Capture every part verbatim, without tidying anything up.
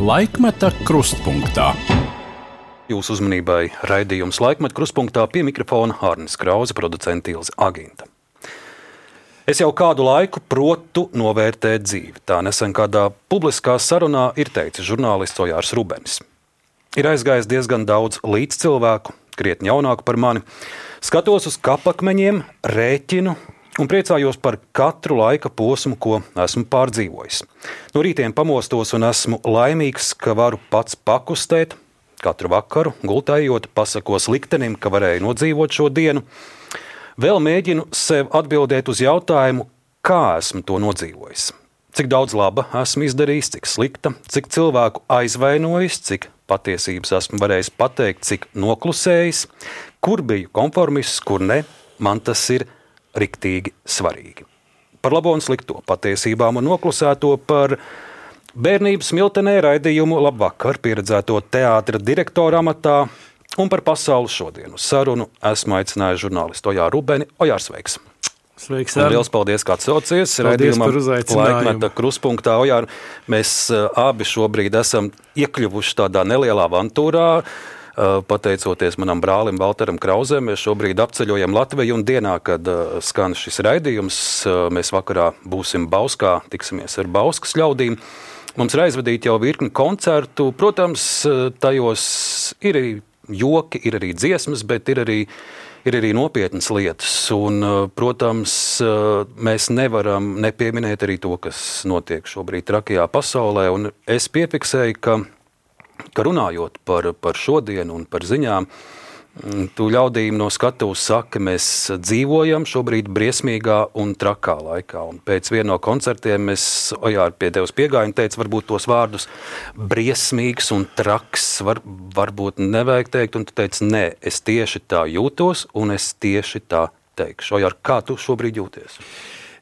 Laikmeta krustpunktā. Jūsu uzmanībai raidījums Laikmeta krustpunktā, pie mikrofona Arnis Krause, producente Ilze Aginta. Es jau kādu laiku protu novērtēt dzīvi. Tā nesen kādā publiskā sarunā ir teicis žurnālists Ojārs Rubenis. Ir aizgājis diezgan daudz līdzcilvēku, krietni jaunāku par mani. Skatos uz kapakmeņiem, rēķinu un priecājos par katru laika posmu, ko esmu pārdzīvojis. No rītiem pamostos un esmu laimīgs, ka varu pats pakustēt. Katru vakaru gultējot pasakos liktenim, ka varēju nodzīvot šo dienu. Vēl mēģinu sev atbildēt uz jautājumu, kā esmu to nodzīvojis. Cik daudz laba esmu izdarījis, cik slikta, cik cilvēku aizvainojis, cik patiesības esmu varējis pateikt, cik noklusējis, kur biju konformists, kur ne, man tas ir riktīgi svarīgi. Par labo un slikto, patiesībām un noklusēto, par bērnības smiltenē raidījumu Labvakar pieredzēto teātra direktora amatā un par pasauli šodien uz sarunu esmu aicinājis žurnālistu Ojāru Rubeni. Ojārs, sveiks! Sveiks, Ar. Liels paldies, ka atsaucies raidījumam Laikmeta krustpunktā. Ojār, mēs abi šobrīd esam iekļuvuši tādā nelielā avantūrā. Pateicoties manam brālim Valteram Krauzem, mēs šobrīd apceļojam Latviju un dienā, kad skan šis raidījums, mēs vakarā būsim Bauskā, tiksimies ar Bauskas ļaudīm. Mums ir aizvadīti jau virkni koncertu, protams, tajos ir arī joki, ir arī dziesmas, bet ir arī, ir arī nopietnas lietas. Un, protams, mēs nevaram nepieminēt arī to, kas notiek šobrīd trakajā pasaulē. Un es piefiksēju, ka, ka runājot par, par šodienu un par ziņām, tu ļaudīm no skatuves saka, mēs dzīvojam šobrīd briesmīgā un trakā laikā. Un pēc viena no koncertiem es, Ojār, pie tevis piegāju un teicu, varbūt tos vārdus briesmīgs un traks var, varbūt nevajag teikt, un tu teici, nē, es tieši tā jūtos un es tieši tā teikšu. Ojār, kā tu šobrīd jūties?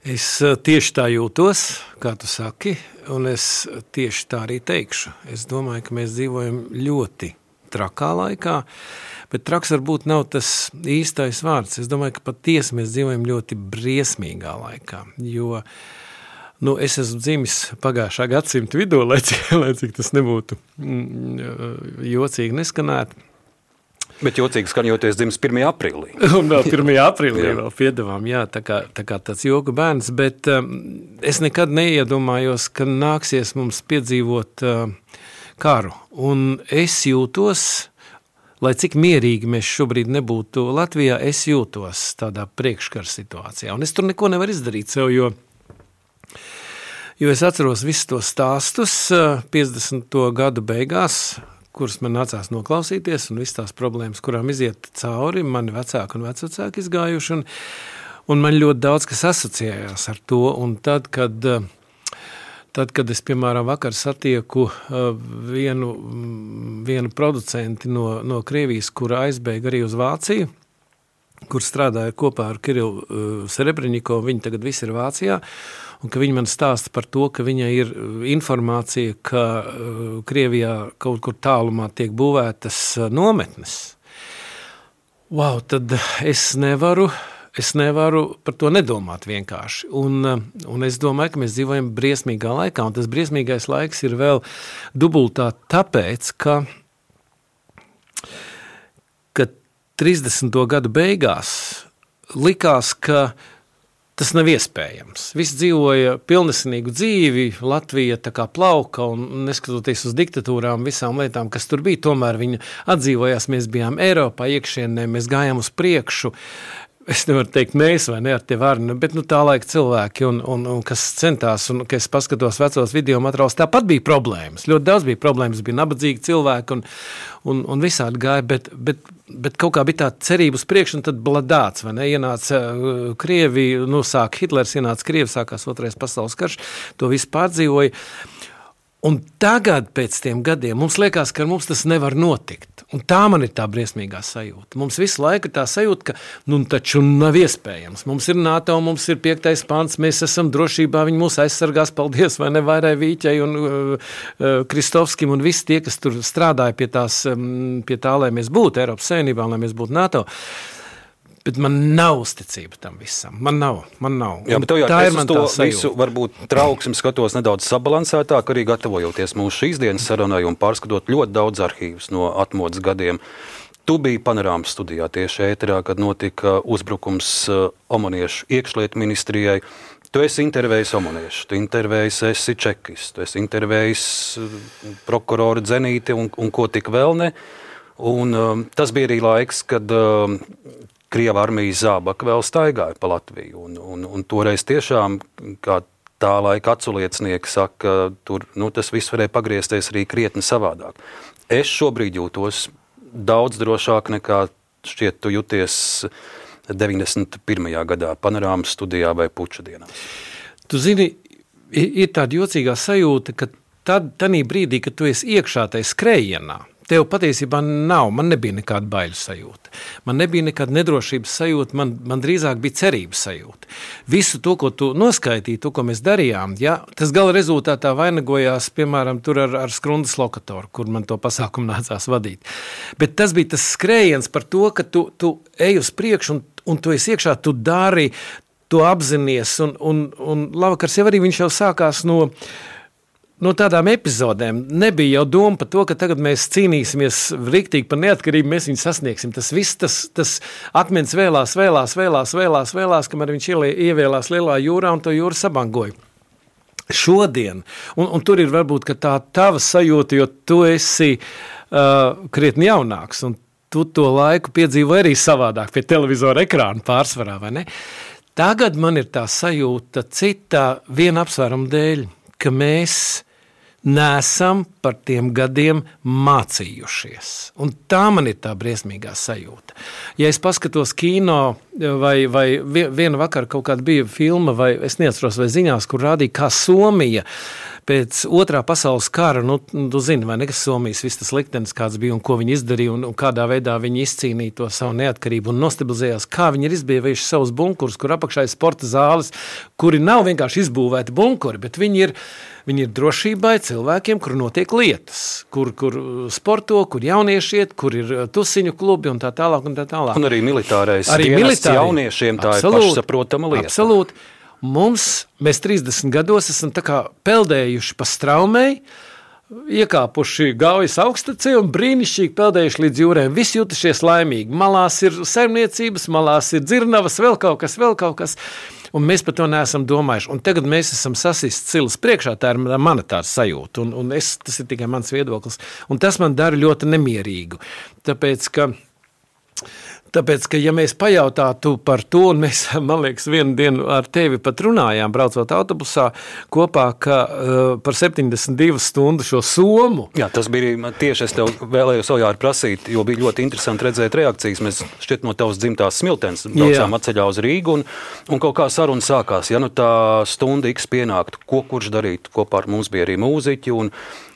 Es tieši tā jūtos, kā tu saki, un es tieši tā arī teikšu. Es domāju, ka mēs dzīvojam ļoti trakā laikā, bet traks varbūt nav tas īstais vārds. Es domāju, ka patiesi mēs dzīvojam ļoti briesmīgā laikā, jo nu, es esmu dzimis pagājušā gadsimta vidū, lai cik, lai cik tas nebūtu mm, jocīgi neskanētu. Bet jocīgi skan, jo tu esi dzimis pirmajā aprīlī. Un vēl pirmajā aprīlī vēl piedevām, jā, tā kā, tā kā tāds joku bērns, bet um, es nekad neiedomājos, ka nāksies mums piedzīvot uh, karu. Un es jūtos, lai cik mierīgi mēs šobrīd nebūtu Latvijā, es jūtos tādā priekškara situācijā. Un es tur neko nevaru izdarīt sev, jo, jo es atceros visus tos stāstus piecdesmito gadu beigās, kuras man nācās noklausīties, un visas tās problēmas, kurām iziet cauri, mani vecāki un vecvecāki izgājuši, un, un man ļoti daudz kas asociējās ar to, un tad, kad, tad, kad es, piemēram, vakar satieku vienu, vienu producenti no, no Krievijas, kura aizbēga arī uz Vāciju, kur strādāja kopā ar Kirilu Serebreņikovu, viņi tagad visi ir Vācijā, un ka viņi man stāsta par to, ka viņai ir informācija, ka Krievijā kaut kur tālumā tiek būvētas nometnes. Wow, tad es nevaru, es nevaru par to nedomāt vienkārši. Un, un es domāju, ka mēs dzīvojam briesmīgā laikā, un tas briesmīgais laiks ir vēl dubultā tāpēc, ka, ka trīsdesmito gadu beigās likās, ka tas nav iespējams. Visi dzīvoja pilnesinīgu dzīvi, Latvija tā kā plauka, un neskatoties uz diktatūrām, visām lietām, kas tur bija, tomēr viņa atdzīvojās, mēs bijām Eiropā iekšienē, mēs gājām uz priekšu. Es nevaru teikt mēs vai ne ar tie vārni, bet nu, tā laika cilvēki, un, un, un kas centās, un ka es paskatos vecos video materiālus, tāpat bija problēmas. Ļoti daudz bija problēmas, bija nabadzīgi cilvēki, un, un, un visādi gāja, bet, bet, bet kaut kā bija tā cerība uz priekšu, un tad bladāts, vai ne, ienāca uh, Krievi, nu sāk Hitlers, ienāca Krievi, sākās otrais pasaules karš, to visu pārdzīvoja. Un tagad pēc tiem gadiem mums liekas, ka mums tas nevar notikt. Un tā man ir tā briesmīgā sajūta. Mums visu laiku ir tā sajūta, ka nu taču nav iespējams. Mums ir NATO, mums ir piektais pants, mēs esam drošībā, viņi mūs aizsargās, paldies, vai ne, Vairai Vīķai un uh, Kristovskim un visi tie, kas tur strādāja pie, tās, um, pie tā, lai mēs būtu Eiropas Savienībā, lai mēs būtu NATO. bet man nav uzticība tam visam. Man nav, man nav. Jā, bet tev jau tā es ir uz man to tā sajūta. visu varbūt trauksmi skatos nedaudz sabalansētāk, arī gatavojoties mūsu šīs dienas sarunai un pārskatot ļoti daudz arhīvus no atmodas gadiem. Tu biji Panorāmas studijā tieši ēterā, kad notika uzbrukums omoniešu iekšlietu ministrijai. Tu esi intervējis omoniešu, tu intervējis esi čekis, tu esi intervējis prokuroru Dzenīti un, un ko tik vēl ne. Un um, tas bija arī laiks, kad um, Krieva armijas zābaki vēl staigāja pa Latviju. Un, un, un toreiz tiešām, kā tā laika aculiecinieki saka, tur nu, tas viss varēja pagriezties arī krietni savādāk. Es šobrīd jūtos daudz drošāk nekā šķiet tu jūties deviņdesmit pirmajā gadā Panorāmas studijā vai puča dienā. Tu zini, ir tāda jocīgā sajūta, ka tad, tanī brīdī, kad tu esi iekšā tai skrējienā, tev patiesībā nav, man nebija nekāda baiļu sajūta. Man nebija nekāda nedrošības sajūta, man, man drīzāk bija cerības sajūta. Visu to, ko tu noskaitīji, to, ko mēs darījām, ja, tas gala rezultātā vainagojās, piemēram, tur ar, ar skrundas lokatoru, kur man to pasākumu nācās vadīt. Bet tas bija tas skrējiens par to, ka tu, tu ej uz priekšu un, un tu esi iekšā, tu dari, tu apzinies, un, un, un labvakars jau arī viņš jau sākās no No tādām epizodēm nebija jau doma par to, ka tagad mēs cīnīsimies riktīgi par neatkarību, mēs viņu sasniegsim. Tas viss, tas, tas akmens vēlās, vēlās, vēlās, vēlās, vēlās, kamēr viņš ievēlās lielā jūrā un to jūru sabangoja. Šodien, un, un tur ir varbūt ka tā tava sajūta, jo tu esi uh, krietni jaunāks, un tu to laiku piedzīvo arī savādāk pie televizora ekrāna pārsvarā, vai ne? Tagad man ir tā sajūta citā viena apsvēruma dēļ, ka mēs nesam par tiem gadiem mācījušies. Un tā man ir tā briesmīgā sajūta. Ja es paskatos kino vai, vai vienu vakaru kaut kāda bija filma, vai es neatceros vai ziņās, kur rādīja, kā Somija pēc otrā pasaules kara, nu, tu zini, vai ne, kas Somijas viss tas liktenis, kāds bija un ko viņi izdarīja un, un kādā veidā viņi izcīnīja to savu neatkarību un nostabilizējās, kā viņi ir izbīvējuši savus bunkurus, kur apakšā ir sporta zāles, kuri nav vienkārši izbūvēti bunkuri, bet viņi ir, viņi ir drošībai cilvēkiem, kur notiek lietas, kur, kur sporto, kur jaunieši iet, kur ir tusiņu klubi un tā tālāk un tā tālāk. Un arī militārais arī dienests jauniešiem tā absolūt, ir pašsaprotama lieta. Absolūti. Mums, mēs trīsdesmit gados esam tā kā peldējuši pa straumei, iekāpuši Gaujas augstacē un brīnišķīgi peldējuši līdz jūrēm. Visi jutušies laimīgi. Malās ir saimniecības, malās ir dzirnavas, vēl kaut kas, vēl kaut kas. Un mēs par to neesam domājuši. Un tagad mēs esam sasist cilas priekšā, tā ir mana tāda sajūta. Un, un es, tas ir tikai mans viedoklis. Un tas man dara ļoti nemierīgu. Tāpēc, ka Tāpēc, ka ja mēs pajautātu par to, un mēs, man liekas, vienu dienu ar tevi pat runājām, braucot autobusā kopā, ka uh, par septiņdesmit divu stundu šo somu. Jā, tas bija tieši, es tev vēlējos Oļāri prasīt, jo bija ļoti interesanti redzēt reakcijas. Mēs šķiet no tavas dzimtās Smiltenes braucām atceļā uz Rīgu, un, un kaut kā saruna sākās. Ja nu tā stunda X pienāktu, ko kurš darītu, kopā ar mums bija arī mūziķi, un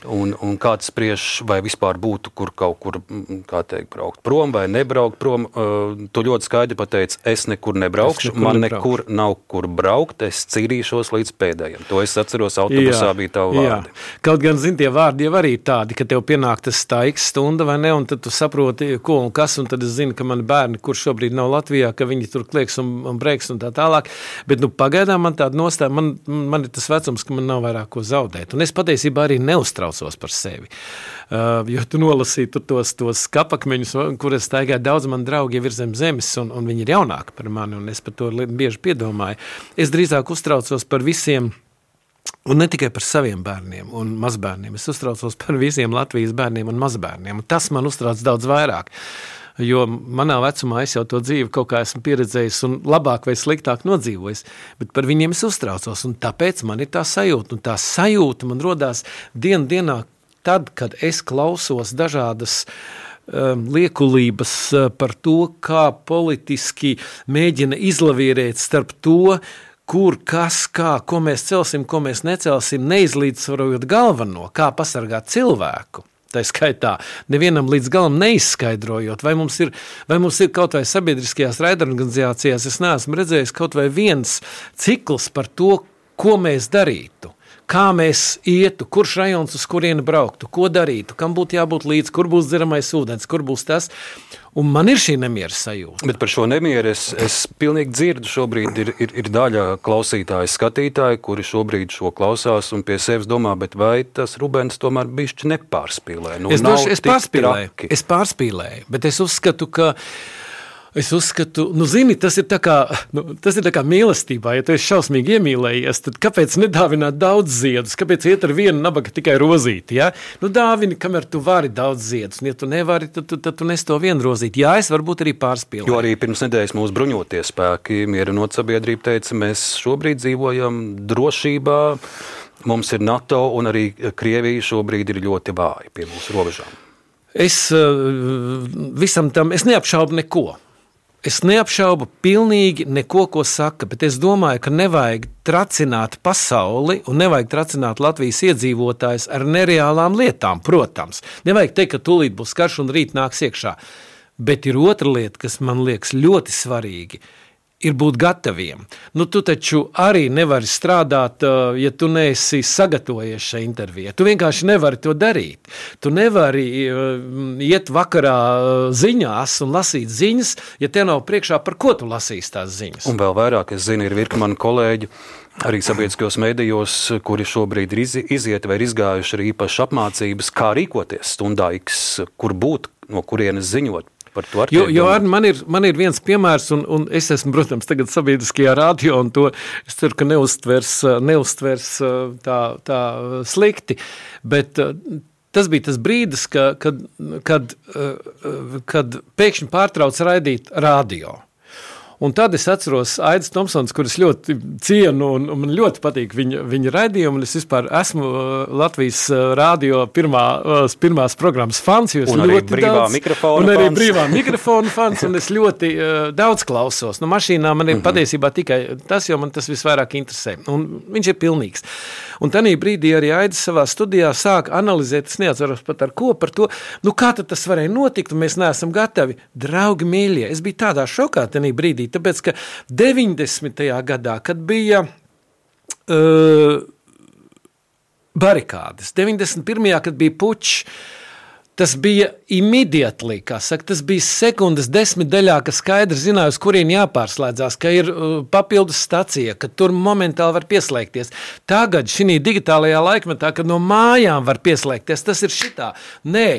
Un, un kāds spriež, vai vispār būtu, kur kaut kur, kā teikt, braukt prom vai nebraukt prom. Uh, tu ļoti skaidri pateici, es nekur nebraukšu, es nekur man nekur nebraukšu. Nav kur braukt, es cīrīšos līdz pēdējiem. To es atceros, autobusā jā, bija tavu vārdi. Jā. Kaut gan, zin, tie vārdi jau arī tādi, ka tev pienāk tas tā X stunda vai ne, un tad tu saproti, ko un kas, un tad es zinu, ka mani bērni, kur šobrīd nav Latvijā, ka viņi tur klieks un, un breiks un tā tālāk. Bet, nu, pagaidām man tāda nostāja, man, man ir tas vecums, ka man nav vairāk ko zaudēt. Un es patiesībā arī neuztraucu par sevi. Uh, jo tu nolasīji tu tos, tos kapakmeņus, kur es staigāju, daudz man draugi jau ir zem zemes, un, un viņi ir jaunāki par mani, un es par to bieži piedomāju. Es drīzāk uztraucos par visiem, un ne tikai par saviem bērniem un mazbērniem, es uztraucos par visiem Latvijas bērniem un mazbērniem, un tas man uztrauc daudz vairāk. Jo manā vecumā es jau to dzīvi kaut kā esmu pieredzējis un labāk vai sliktāk nodzīvojis, bet par viņiem es uztraucos, un tāpēc man ir tā sajūta, un tā sajūta man rodās dienu dienā tad, kad es klausos dažādas um, liekulības uh, par to, kā politiski mēģina izlavierēt starp to, kur, kas, kā, ko mēs celsim, ko mēs necelsim, neizlīdzsvarojot galveno, kā pasargāt cilvēku. Tā skaitā, nevienam līdz galam neizskaidrojot, vai mums ir, vai mums ir kaut vai sabiedriskajās raidorganizācijās, es neesmu redzējis kaut vai viens cikls par to, ko mēs darītu, kā mēs ietu, kurš rajons uz kurienu brauktu, ko darītu, kam būtu jābūt līdz, kur būs dzeramais ūdens, kur būs tas. Un man ir šī nemiera sajūta. Bet par šo nemieru es, es pilnīgi dzirdu. Šobrīd ir, ir, ir daļa klausītāju, skatītāju, kuri šobrīd šo klausās un pie sevis domā, bet vai tas Rubens tomēr bišķi nepārspīlē? Nu, es došu, es pārspīlēju, es pārspīlēju, bet es uzskatu, ka Es uzskatu, nu zini, tas ir tā kā, nu, tas ir tā kā mīlestībā. Ja tu esi šausmīgi iemīlējies, tad kāpēc nedāvināt daudz ziedus? Kāpēc iet ar vienu nabaga tikai rozīti? Ja? Nu dāvini, kamēr tu vari daudz ziedus. Un ja tu nevari, tad, tad, tad tu nes to vienu rozīti. Jā, es varbūt arī pārspīlēju. Jo arī pirms nedēļas mūsu bruņotie spēki, Mierinots sabiedrība teica, mēs šobrīd dzīvojam drošībā, mums ir NATO un arī Krievija šobrīd ir ļoti vāja pie mūsu robežām. Es visam tam, es neapšaubu neko. Es neapšaubu pilnīgi neko, ko saka, bet es domāju, ka nevajag tracināt pasauli un nevajag tracināt Latvijas iedzīvotājus ar nereālām lietām, protams. Nevajag teikt, ka tūlīt būs karš un rīt nāks iekšā. Bet ir otra lieta, kas man liekas ļoti svarīgi, ir būt gataviem. Nu, tu taču arī nevari strādāt, ja tu neesi sagatavojies šai intervijai. Tu vienkārši nevari to darīt. Tu nevari iet vakarā ziņās un lasīt ziņas, ja te nav priekšā, par ko tu lasīs tās ziņas. Un vēl vairāk, es zinu, ir virkni mani kolēģi, arī sabiedriskajos medijos, kuri šobrīd ir iziet vai ir izgājuši arī īpašas apmācības, kā rīkoties stundā X, kur būt, no kurienes ziņot. Jo, jo ar, man, ir, man ir viens piemērs, un, un es esmu, protams, tagad sabiedriskajā radio, un to es ceru, ka neuztvers, neuztvers tā, tā slikti, bet tas bija tas brīdis, ka, kad, kad, kad pēkšņi pārtrauc raidīt radio. Un tad es atceros Aidis Tomsons, kurus ļoti cienu un, un man ļoti patīk viņa, viņa raidījumu. Es vispār esmu Latvijas radio pirmā, pirmās programmas fans. Un arī brīvā daudz, mikrofona un fans. arī brīvā mikrofona fans, un es ļoti uh, daudz klausos. Nu, mašīnā man ir mm-hmm. patiesībā tikai tas, jo man tas visvairāk interesē. Un viņš ir pilnīgs. Un tanī brīdī arī Aidis savā studijā sāk analizēt, es neatceros pat ar ko, par to, nu kā tad tas varēja notikt, un mēs neesam gatavi. Draugi mīļie, es biju tādā šokā tanī brīdī, tāpēc, ka deviņdesmitajā gadā, kad bija uh, barikādes, deviņdesmit pirmajā, kad bija pučs, tas bija immediately, kā saka, tas bija sekundes desmit daļā, ka skaidri zināja, uz kurien jāpārslēdzās, ka ir uh, papildus stacija, ka tur momentāli var pieslēgties. Tagad šī digitālajā laikmetā, kad no mājām var pieslēgties, tas ir šitā. Nē,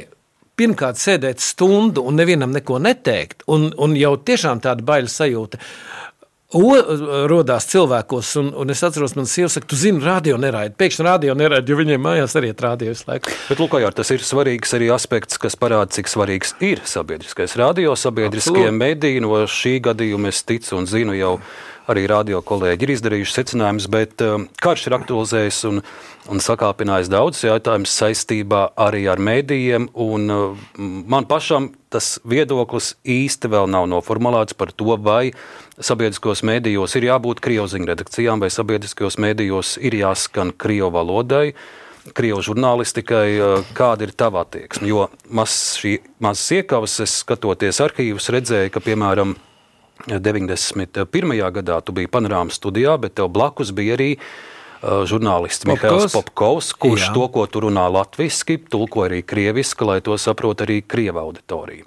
pirmkārt sēdēt stundu un nevienam neko neteikt, un, un jau tiešām tāda baila sajūta o, rodās cilvēkos, un, un es atceros, man sieva saka, tu zini, radio neraida, pēkšņi radio neraida, jo viņiem mājās arī ir radio visu laiku. Bet, lūk, jā, tas ir svarīgs arī aspekts, kas parāda, cik svarīgs ir sabiedriskais radio, sabiedriskie mediji, no šī gadījuma es ticu un zinu jau, arī radio kolēģi ir izdarījuši secinājumus, bet um, karš ir aktualizējis un, un sakāpinājis daudz jautājumus saistībā arī ar medijiem, un uh, man pašam tas viedoklis īsti vēl nav noformulēts par to, vai sabiedriskos medijos ir jābūt krievu redakcijām, vai sabiedriskos medijos ir jāskan krievu valodai, krievu žurnālistikai, uh, kāda ir tava attieksme, jo maz šī mazas iekavas, es skatoties arhīvus, redzēju, ka, piemēram, deviņdesmit pirmajā gadā tu biji Panorāmas studijā, bet tev blakus bija arī uh, žurnālists Mihails Popkovs, kurš Jā. To, ko tu runā latviski, tulko arī krieviski, lai to saprot arī krieva auditorija.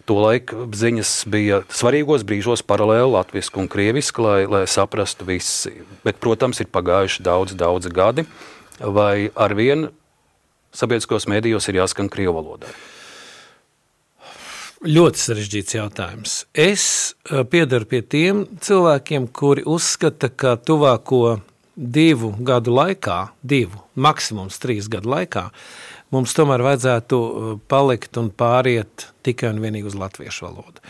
Tolaik ziņas bija svarīgos brīžos paralēli latviski un krieviski, lai, lai saprastu visi. Bet, protams, ir pagājuši daudz, daudz gadi, vai arvien sabiedriskos medijos ir jāskan krievu valodā? Ļoti sarežģīts jautājums. Es piedaru pie tiem cilvēkiem, kuri uzskata, ka tuvāko divu gadu laikā, divu, maksimums trīs gadu laikā, mums tomēr vajadzētu palikt un pāriet tikai un vienīgi uz latviešu valodu.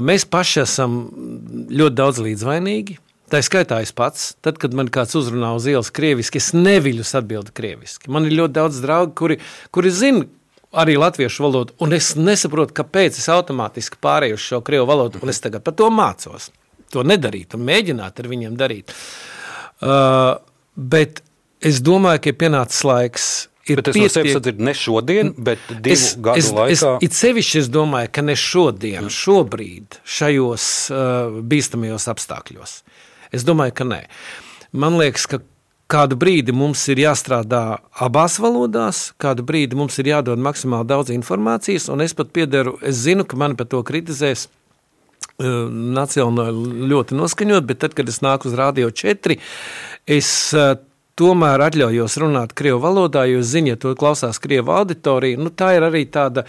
Mēs paši esam ļoti daudz līdzvainīgi. Tā skaitā es pats, tad, kad man kāds uzrunā uz ielas krieviski, es neviļus atbildu krieviski. Man ir ļoti daudz draugi, kuri, kuri zina, arī latviešu valodu, un es nesaprotu, kāpēc es automātiski pārēju uz šo krievu valodu, un es tagad par to mācos. To nedarīt un mēģināt ar viņiem darīt. Uh, bet es domāju, ka ir pienācis laiks. Ir bet es pietiek... no sevis atdzirdu ne šodien, bet divu es, gadu es, laikā. Es, it sevišķi es domāju, ka ne šodien, šobrīd, šajos uh, bīstamajos apstākļos. Es domāju, ka nē. Man liekas, ka kādu brīdi mums ir jāstrādā abās valodās, kādu brīdi mums ir jādod maksimāli daudz informācijas, un es pat piederu, es zinu, ka mani par to kritizēs uh, nacionāli ļoti noskaņot, bet tad, kad es nāku uz Radio četri, es uh, tomēr atļaujos runāt krievu valodā, jo es zinu, ja to klausās krievu auditorija, nu tā ir arī tāda,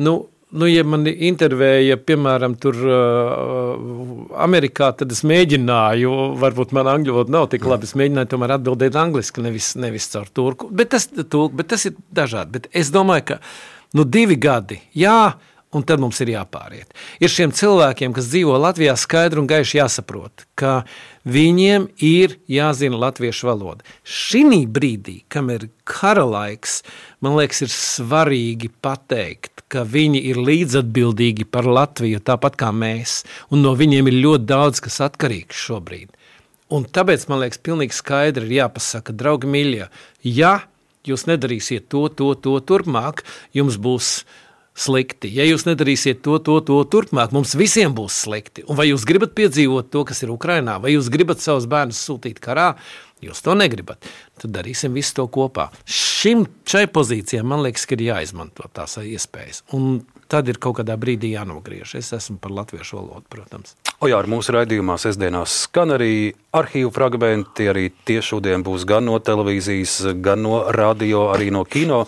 nu, Nu, ja man intervēja, piemēram, tur uh, Amerikā, tad es mēģināju, varbūt man angļu valoda nav tik labi, es mēģināju tomēr atbildēt angliski, nevis, nevis caur turku, bet tas, tulk, bet tas ir dažādi. Bet es domāju, ka nu, divi gadi, jā, un tad mums ir jāpāriet. Ir šiem cilvēkiem, kas dzīvo Latvijā, skaidri un gaiši jāsaprot, ka viņiem ir jāzina latviešu valoda. Šinī brīdī, kam ir kara laiks, man liekas, ir svarīgi pateikt, ka viņi ir līdzatbildīgi par Latviju, tāpat kā mēs, un no viņiem ir ļoti daudz, kas atkarīgs šobrīd. Un tāpēc, man liekas, pilnīgi skaidri ir jāpasaka, draugi mīļie, ja jūs nedarīsiet to, to, to turpmāk, jums būs slikti. Ja jūs nedarīsiet to, to, to turpmāk, mums visiem būs slikti. Un vai jūs gribat piedzīvot to, kas ir Ukrainā, vai jūs gribat savus bērnus sūtīt karā, jūs to negribat, tad darīsim visu to kopā. Šim, šai pozīcijai, man liekas, ka ir jāizmanto tās iespējas. Un tad ir kaut kādā brīdī jānogriež. Es esmu par latviešu valodu, protams. O jā, ar mūsu raidījumā sestdienās skan arī arhīvu fragmenti, arī tie šodien būs gan no televīzijas, gan no radio, arī no kino.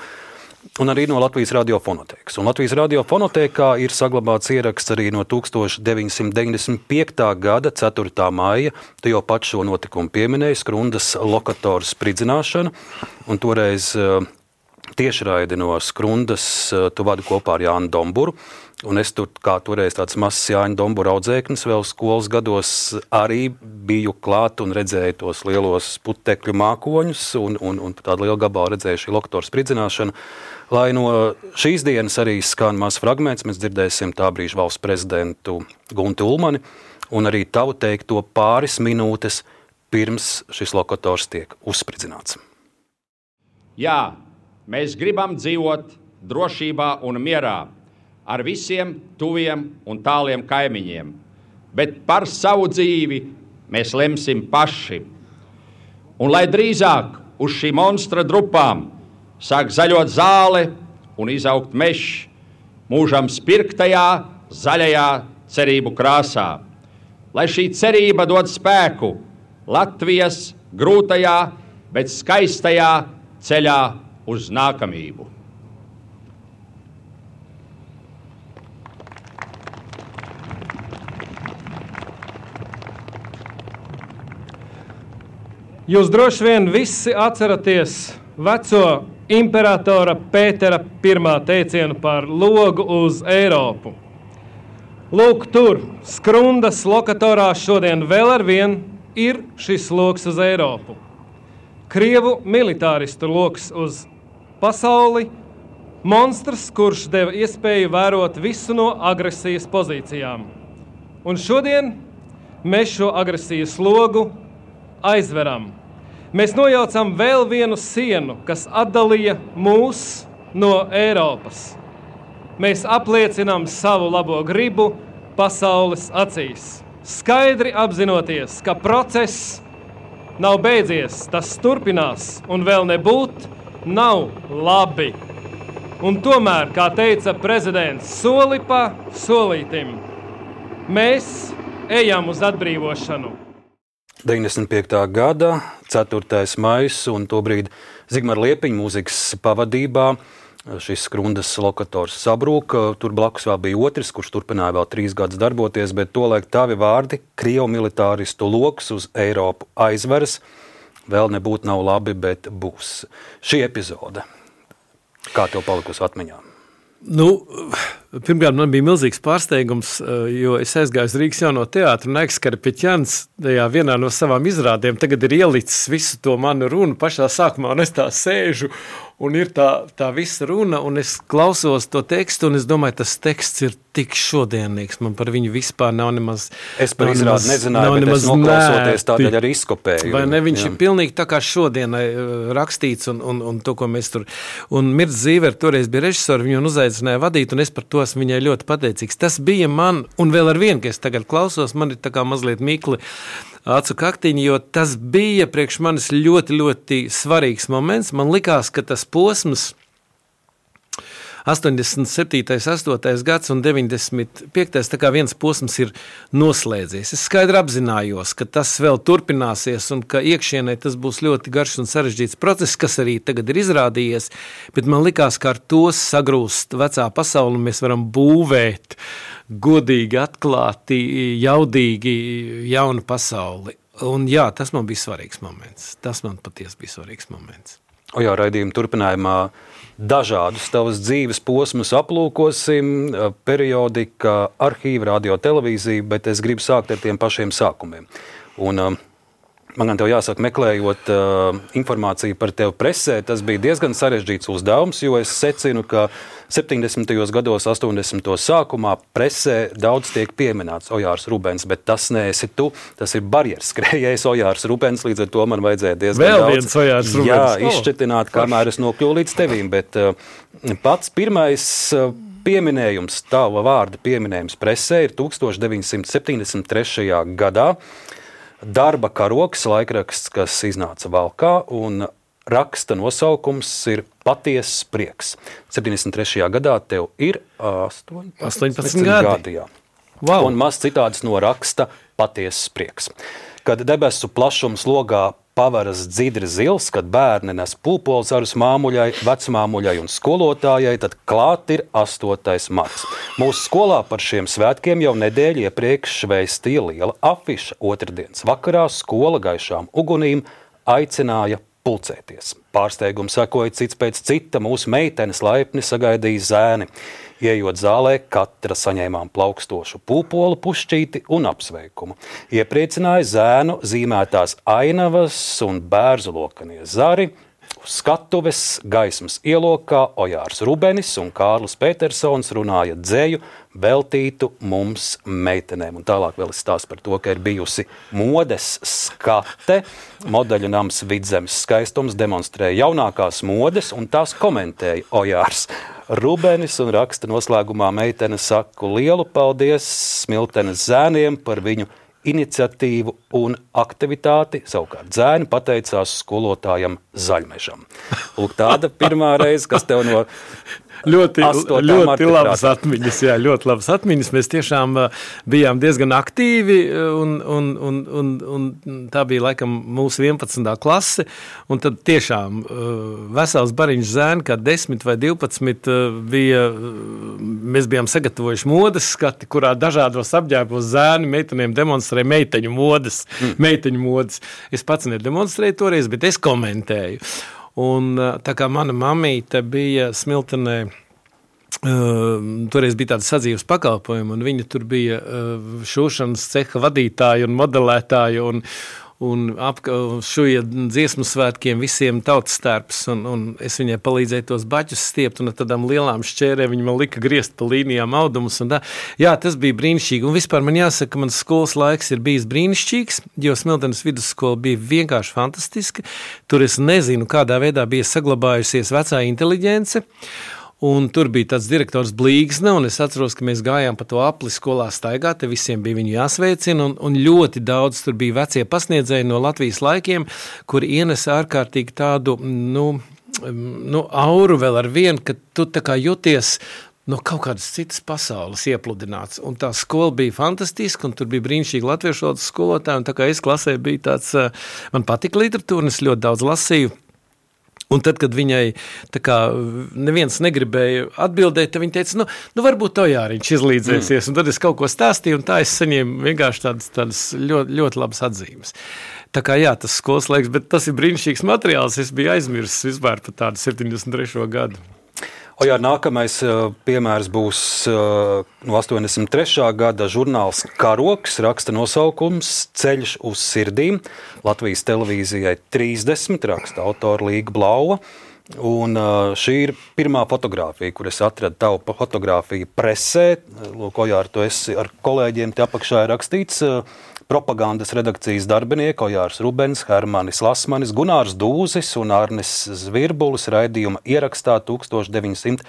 Un arī no Latvijas radiofonotēkas. Un Latvijas radiofonotēkā ir saglabāts ieraksts arī no tukstovš deviņsimt deviņdesmit piektā gada ceturtā maija. Tu jau pat šo notikumu pieminēji, Skrundas lokatoru spridzināšanu. Un toreiz tiešraidi no Skrundas tu vadi kopā ar Jānu Domburu. Un es tur, kā toreiz tāds mazs Jāņa Dombura audzēknis vēl skolas gados, arī biju klāt un redzēju tos lielos putekļu mākoņus un, un, un tādu lielu gabalu redzēju šī lokatoru spridzināšanu. Lai no šīs dienas arī skan mazs fragments, mēs dzirdēsim tā brīža valsts prezidentu Gunti Ulmani un arī tavu teikto pāris minūtes pirms šis lokators tiek uzspridzināts. Jā, mēs gribam dzīvot drošībā un mierā ar visiem tuviem un tāliem kaimiņiem, bet par savu dzīvi mēs lemsim paši. Un lai drīzāk uz šī monstra drupām sāk zaļot zāle un izaugt mežs mūžam spirktajā, zaļajā cerību krāsā. Lai šī cerība dod spēku Latvijas grūtajā, bet skaistajā ceļā uz nākamību. Jūs droši vien visi atceraties veco imperatora Pētera pirmā teicienu par logu uz Eiropu. Lūk, tur, Skrundas lokatorā šodien vēl ar vien ir šis loks uz Eiropu. Krievu militāristu loks uz pasauli, monstrs, kurš deva iespēju vērot visu no agresijas pozīcijām. Un šodien mēs šo agresijas logu aizveram. Mēs nojaucam vēl vienu sienu, kas atdalīja mūs no Eiropas. Mēs apliecinām savu labo gribu pasaules acīs. Skaidri apzinoties, ka process nav beidzies, tas turpinās un vēl nebūt nav labi. Un tomēr, kā teica prezidents, soli pa solītim, mēs ejam uz atbrīvošanu. deviņdesmit piektā gada ceturtais maijs un tobrīd Zigmara Liepiņa mūzikas pavadībā šis Skrundas lokators sabrūk. Tur blakus vēl bija otrs, kurš turpināja vēl trīs gadus darboties, bet tolaik tavi vārdi Krievu militāristu loks uz Eiropu aizveras. Vēl nebūt nav labi, bet būs. Šī epizode, kā tev palikusi atmiņā? Nu, pirmkārt, man bija milzīgs pārsteigums, jo es aizgāju uz Rīgas jauno teātru un Aikskara Peķjans tajā vienā no savām izrādēm tagad ir ielicis visu to manu runu pašā sākumā, un es tā sēžu, un ir tā, tā visa runa, un es klausos to tekstu, un es domāju, tas teksts ir tik šodienīgs, man par viņu vispār nav nemaz... Es par izrādi nezināju, bet es noklausoties tādēļ arī izkopēju. Vai ne, viņš jā. ir pilnīgi tā kā šodienai rakstīts, un, un, un to, ko mēs tur... Un Mirts Zīver toreiz bija režisori, viņu uzaicināja vadīt, un es par to esmu viņai ļoti pateicīgs. Tas bija man, un vēl ar vienu, ka es tagad klausos, man ir tā kā mazliet mikli acu kaktiņu, jo tas bija priekš manis ļoti, ļoti svarīgs moments. Man likās, ka tas posms astoņdesmit septītais, astotais gads un deviņdesmit piektais tā kā viens posms ir noslēdzies. Es skaidri apzinājos, ka tas vēl turpināsies un ka iekšienē tas būs ļoti garš un sarežģīts process, kas arī tagad ir izrādījies, bet man likās, ka ar to sagrūst vecā pasauli un mēs varam būvēt godīgi, atklāti, jaudīgi jaunu pasauli. Un jā, tas man bija svarīgs moments. Tas man patiesi bija svarīgs moments. O jā, raidījuma turpinājumā dažādus tavas dzīves posmus aplūkosim, periodika, arhīva, radio, televīzija, bet es gribu sākt ar tiem pašiem sākumiem. Un man gan tev jāsaka, meklējot uh, informāciju par tevi presē, tas bija diezgan sarežģīts uzdevums, jo es secinu, ka septiņdesmitajos gados, astoņdesmitajos sākumā presē daudz tiek pieminēts Ojārs Rubens, bet tas neesi tu, tas ir barjeras skrējējs Ojārs Rubens, līdz ar to man vajadzēja diezgan Vēl daudz viens Ojārs Rubens. Jā, izšķetināt, kamēr es nokļuvu līdz tevīm, bet uh, pats pirmais uh, pieminējums, tava vārda pieminējums presē ir tukstovš deviņsimt septiņdesmit trešajā gadā. Darba karoks, laikraksts, kas iznāca Valkā, un raksta nosaukums ir Patiesas prieks. septiņdesmit trešajā gadā tev ir astoņpadsmit, astoņpadsmit gadi. Jā. Wow. Un maz citāds no raksta Patiesas prieks. Kad debesu plašums logā pavaras dzidri zils, kad bērni nes pulpolzarus māmuļai, vecmāmuļai un skolotājai, tad klāt ir astotais marts. Mūsu skolā par šiem svētkiem jau nedēļu iepriekš vēstīja liela afiša. Otrdienas vakarā skola gaišām ugunīm aicināja pulcēties. Pārsteigums sekoja cits pēc cita, mūsu meitenes laipni sagaidīja zēni. Ieejot zālē, katra saņēmām plaukstošu pūpolu pušķīti un apsveikumu. Iepriecināja zēnu zīmētās ainavas un bērzu lokanie zari. Uz skatuves gaismas ielokā Ojārs Rubenis un Kārlis Petersons runāja dzēju veltītu mums meitenēm. Un tālāk vēl es stāstu par to, ka ir bijusi modes skate. Modeļu nams Vidzemes skaistums demonstrēja jaunākās modes un tās komentēja Ojārs Rubenis un raksta noslēgumā meitene saku lielu paldies Smiltenes zēniem par viņu iniciatīvu un aktivitāti, savukārt zēni pateicās skolotājam Zaļmežam. Lūk, tāda pirmā reize, kas tev no Ļoti, ļoti labas prātā. atmiņas, jā, ļoti labas atmiņas. Mēs tiešām uh, bijām diezgan aktīvi, un, un, un, un, un tā bija laikam mūsu vienpadsmitā klase, un tad tiešām uh, vesels bariņš zēni, kā desmit vai divpadsmit, uh, bija, uh, mēs bijām sagatavojuši modes skati, kurā dažādos apģērbos zēni meitenēm demonstrēja meiteņu modes, mm. meiteņu modes. Es pats nedemonstrēju toreiz, bet es komentēju. Un tā kā mana mamīte bija Smiltenē, uh, toreiz bija tāda sadzīves pakalpojuma, un viņa tur bija uh, šūšanas ceha vadītāja un modelētāja, un, un ap šuja dziesmu svētkiem visiem tautas stērps, un, un es viņai palīdzēju tos baķus stiept, un ar tādām lielām šķērēm viņa man lika griezt pa līnijām audumus, un tā. Jā, tas bija brīnišķīgi, un vispār man jāsaka, ka mans skolas laiks ir bijis brīnišķīgs, jo Smiltenes vidusskola bija vienkārši fantastiska, tur es nezinu, kādā veidā bija saglabājusies vecā inteliģence, un tur bija tāds direktors Blīgsne, un es atceros, ka mēs gājām pa to apli skolā staigāt, te visiem bija viņu jāsveicina, un, un ļoti daudz tur bija vecie pasniedzēji no Latvijas laikiem, kuri ienesa ārkārtīgi tādu, nu, nu auru vēl ar vienu, ka tu tā kā jūties no kaut kādas citas pasaules iepludināts. Un tā skola bija fantastiska, un tur bija brīnišķīgi latviešu valodas skolotāji, un tā kā es klasē bija tāds, man patika literatūra, un es ļoti daudz lasīju. Un tad, kad viņai tā kā neviens negribēja atbildēt, tad viņa teica, nu, nu varbūt Ojāriņš izlīdzēsies. Mm. Un tad es kaut ko stāstīju, un tā es saņēmu vienkārši tādas, tādas ļoti, ļoti labas atzīmes. Tā kā jā, tas skolas laiks, bet tas ir brīnišķīgs materiāls. Es biju aizmirsis vispār par tādu septiņdesmit trešo gadu. Ojār, nākamais piemērs būs no astoņdesmit trešā gada žurnāls Karoks, raksta nosaukums Ceļš uz sirdīm. Latvijas televīzijai trīsdesmit, raksta autora Līga Blauva. Un šī ir pirmā fotogrāfija, kur es atradu tavu fotogrāfiju presē. Lūk, Ojār, tu esi ar kolēģiem, te apakšā ir rakstīts propagandas redakcijas darbinieki Ojārs Rubens, Hermanis Lasmanis, Gunārs Dūzis un Arnis Zvirbulis raidījuma ierakstā tukstovš deviņsimt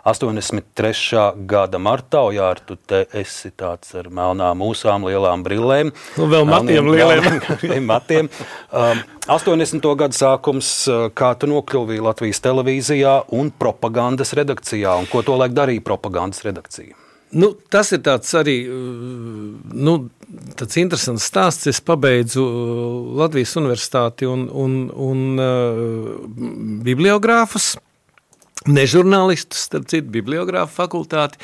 astoņdesmit trešā gada martā. Ojār, tu te esi tāds ar melnām mūsām, lielām brillēm. Un vēl matiem lieliem. matiem. Um, astoņdesmito gadu sākums, kā tu nokļuvi Latvijas televīzijā un propagandas redakcijā, un ko tolaik darīja propagandas redakcija? Nu, tas ir tāds arī nu, tāds interesants stāsts. Es pabeidzu Latvijas universitāti un, un, un uh, bibliogrāfus, ne žurnālistus, starp citu, bibliogrāfu fakultāti.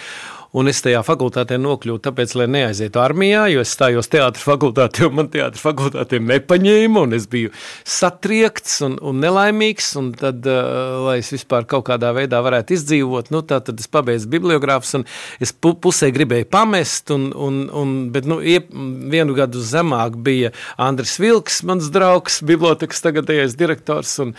Un es tajā fakultātē nokļuvu tāpēc, lai neaizietu armijā, jo es stājos teātra fakultātē, un man teātra fakultātē nepaņēma, un es biju satriekts un, un nelaimīgs, un tad, uh, lai es vispār kaut kādā veidā varētu izdzīvot, nu tā tad es pabeidzu bibliogrāfus, un es pu- pusē gribēju pamest, un, un, un, bet nu, iep, vienu gadu zemāk bija Andris Vilks, mans draugs, bibliotekas tagadējais direktors, un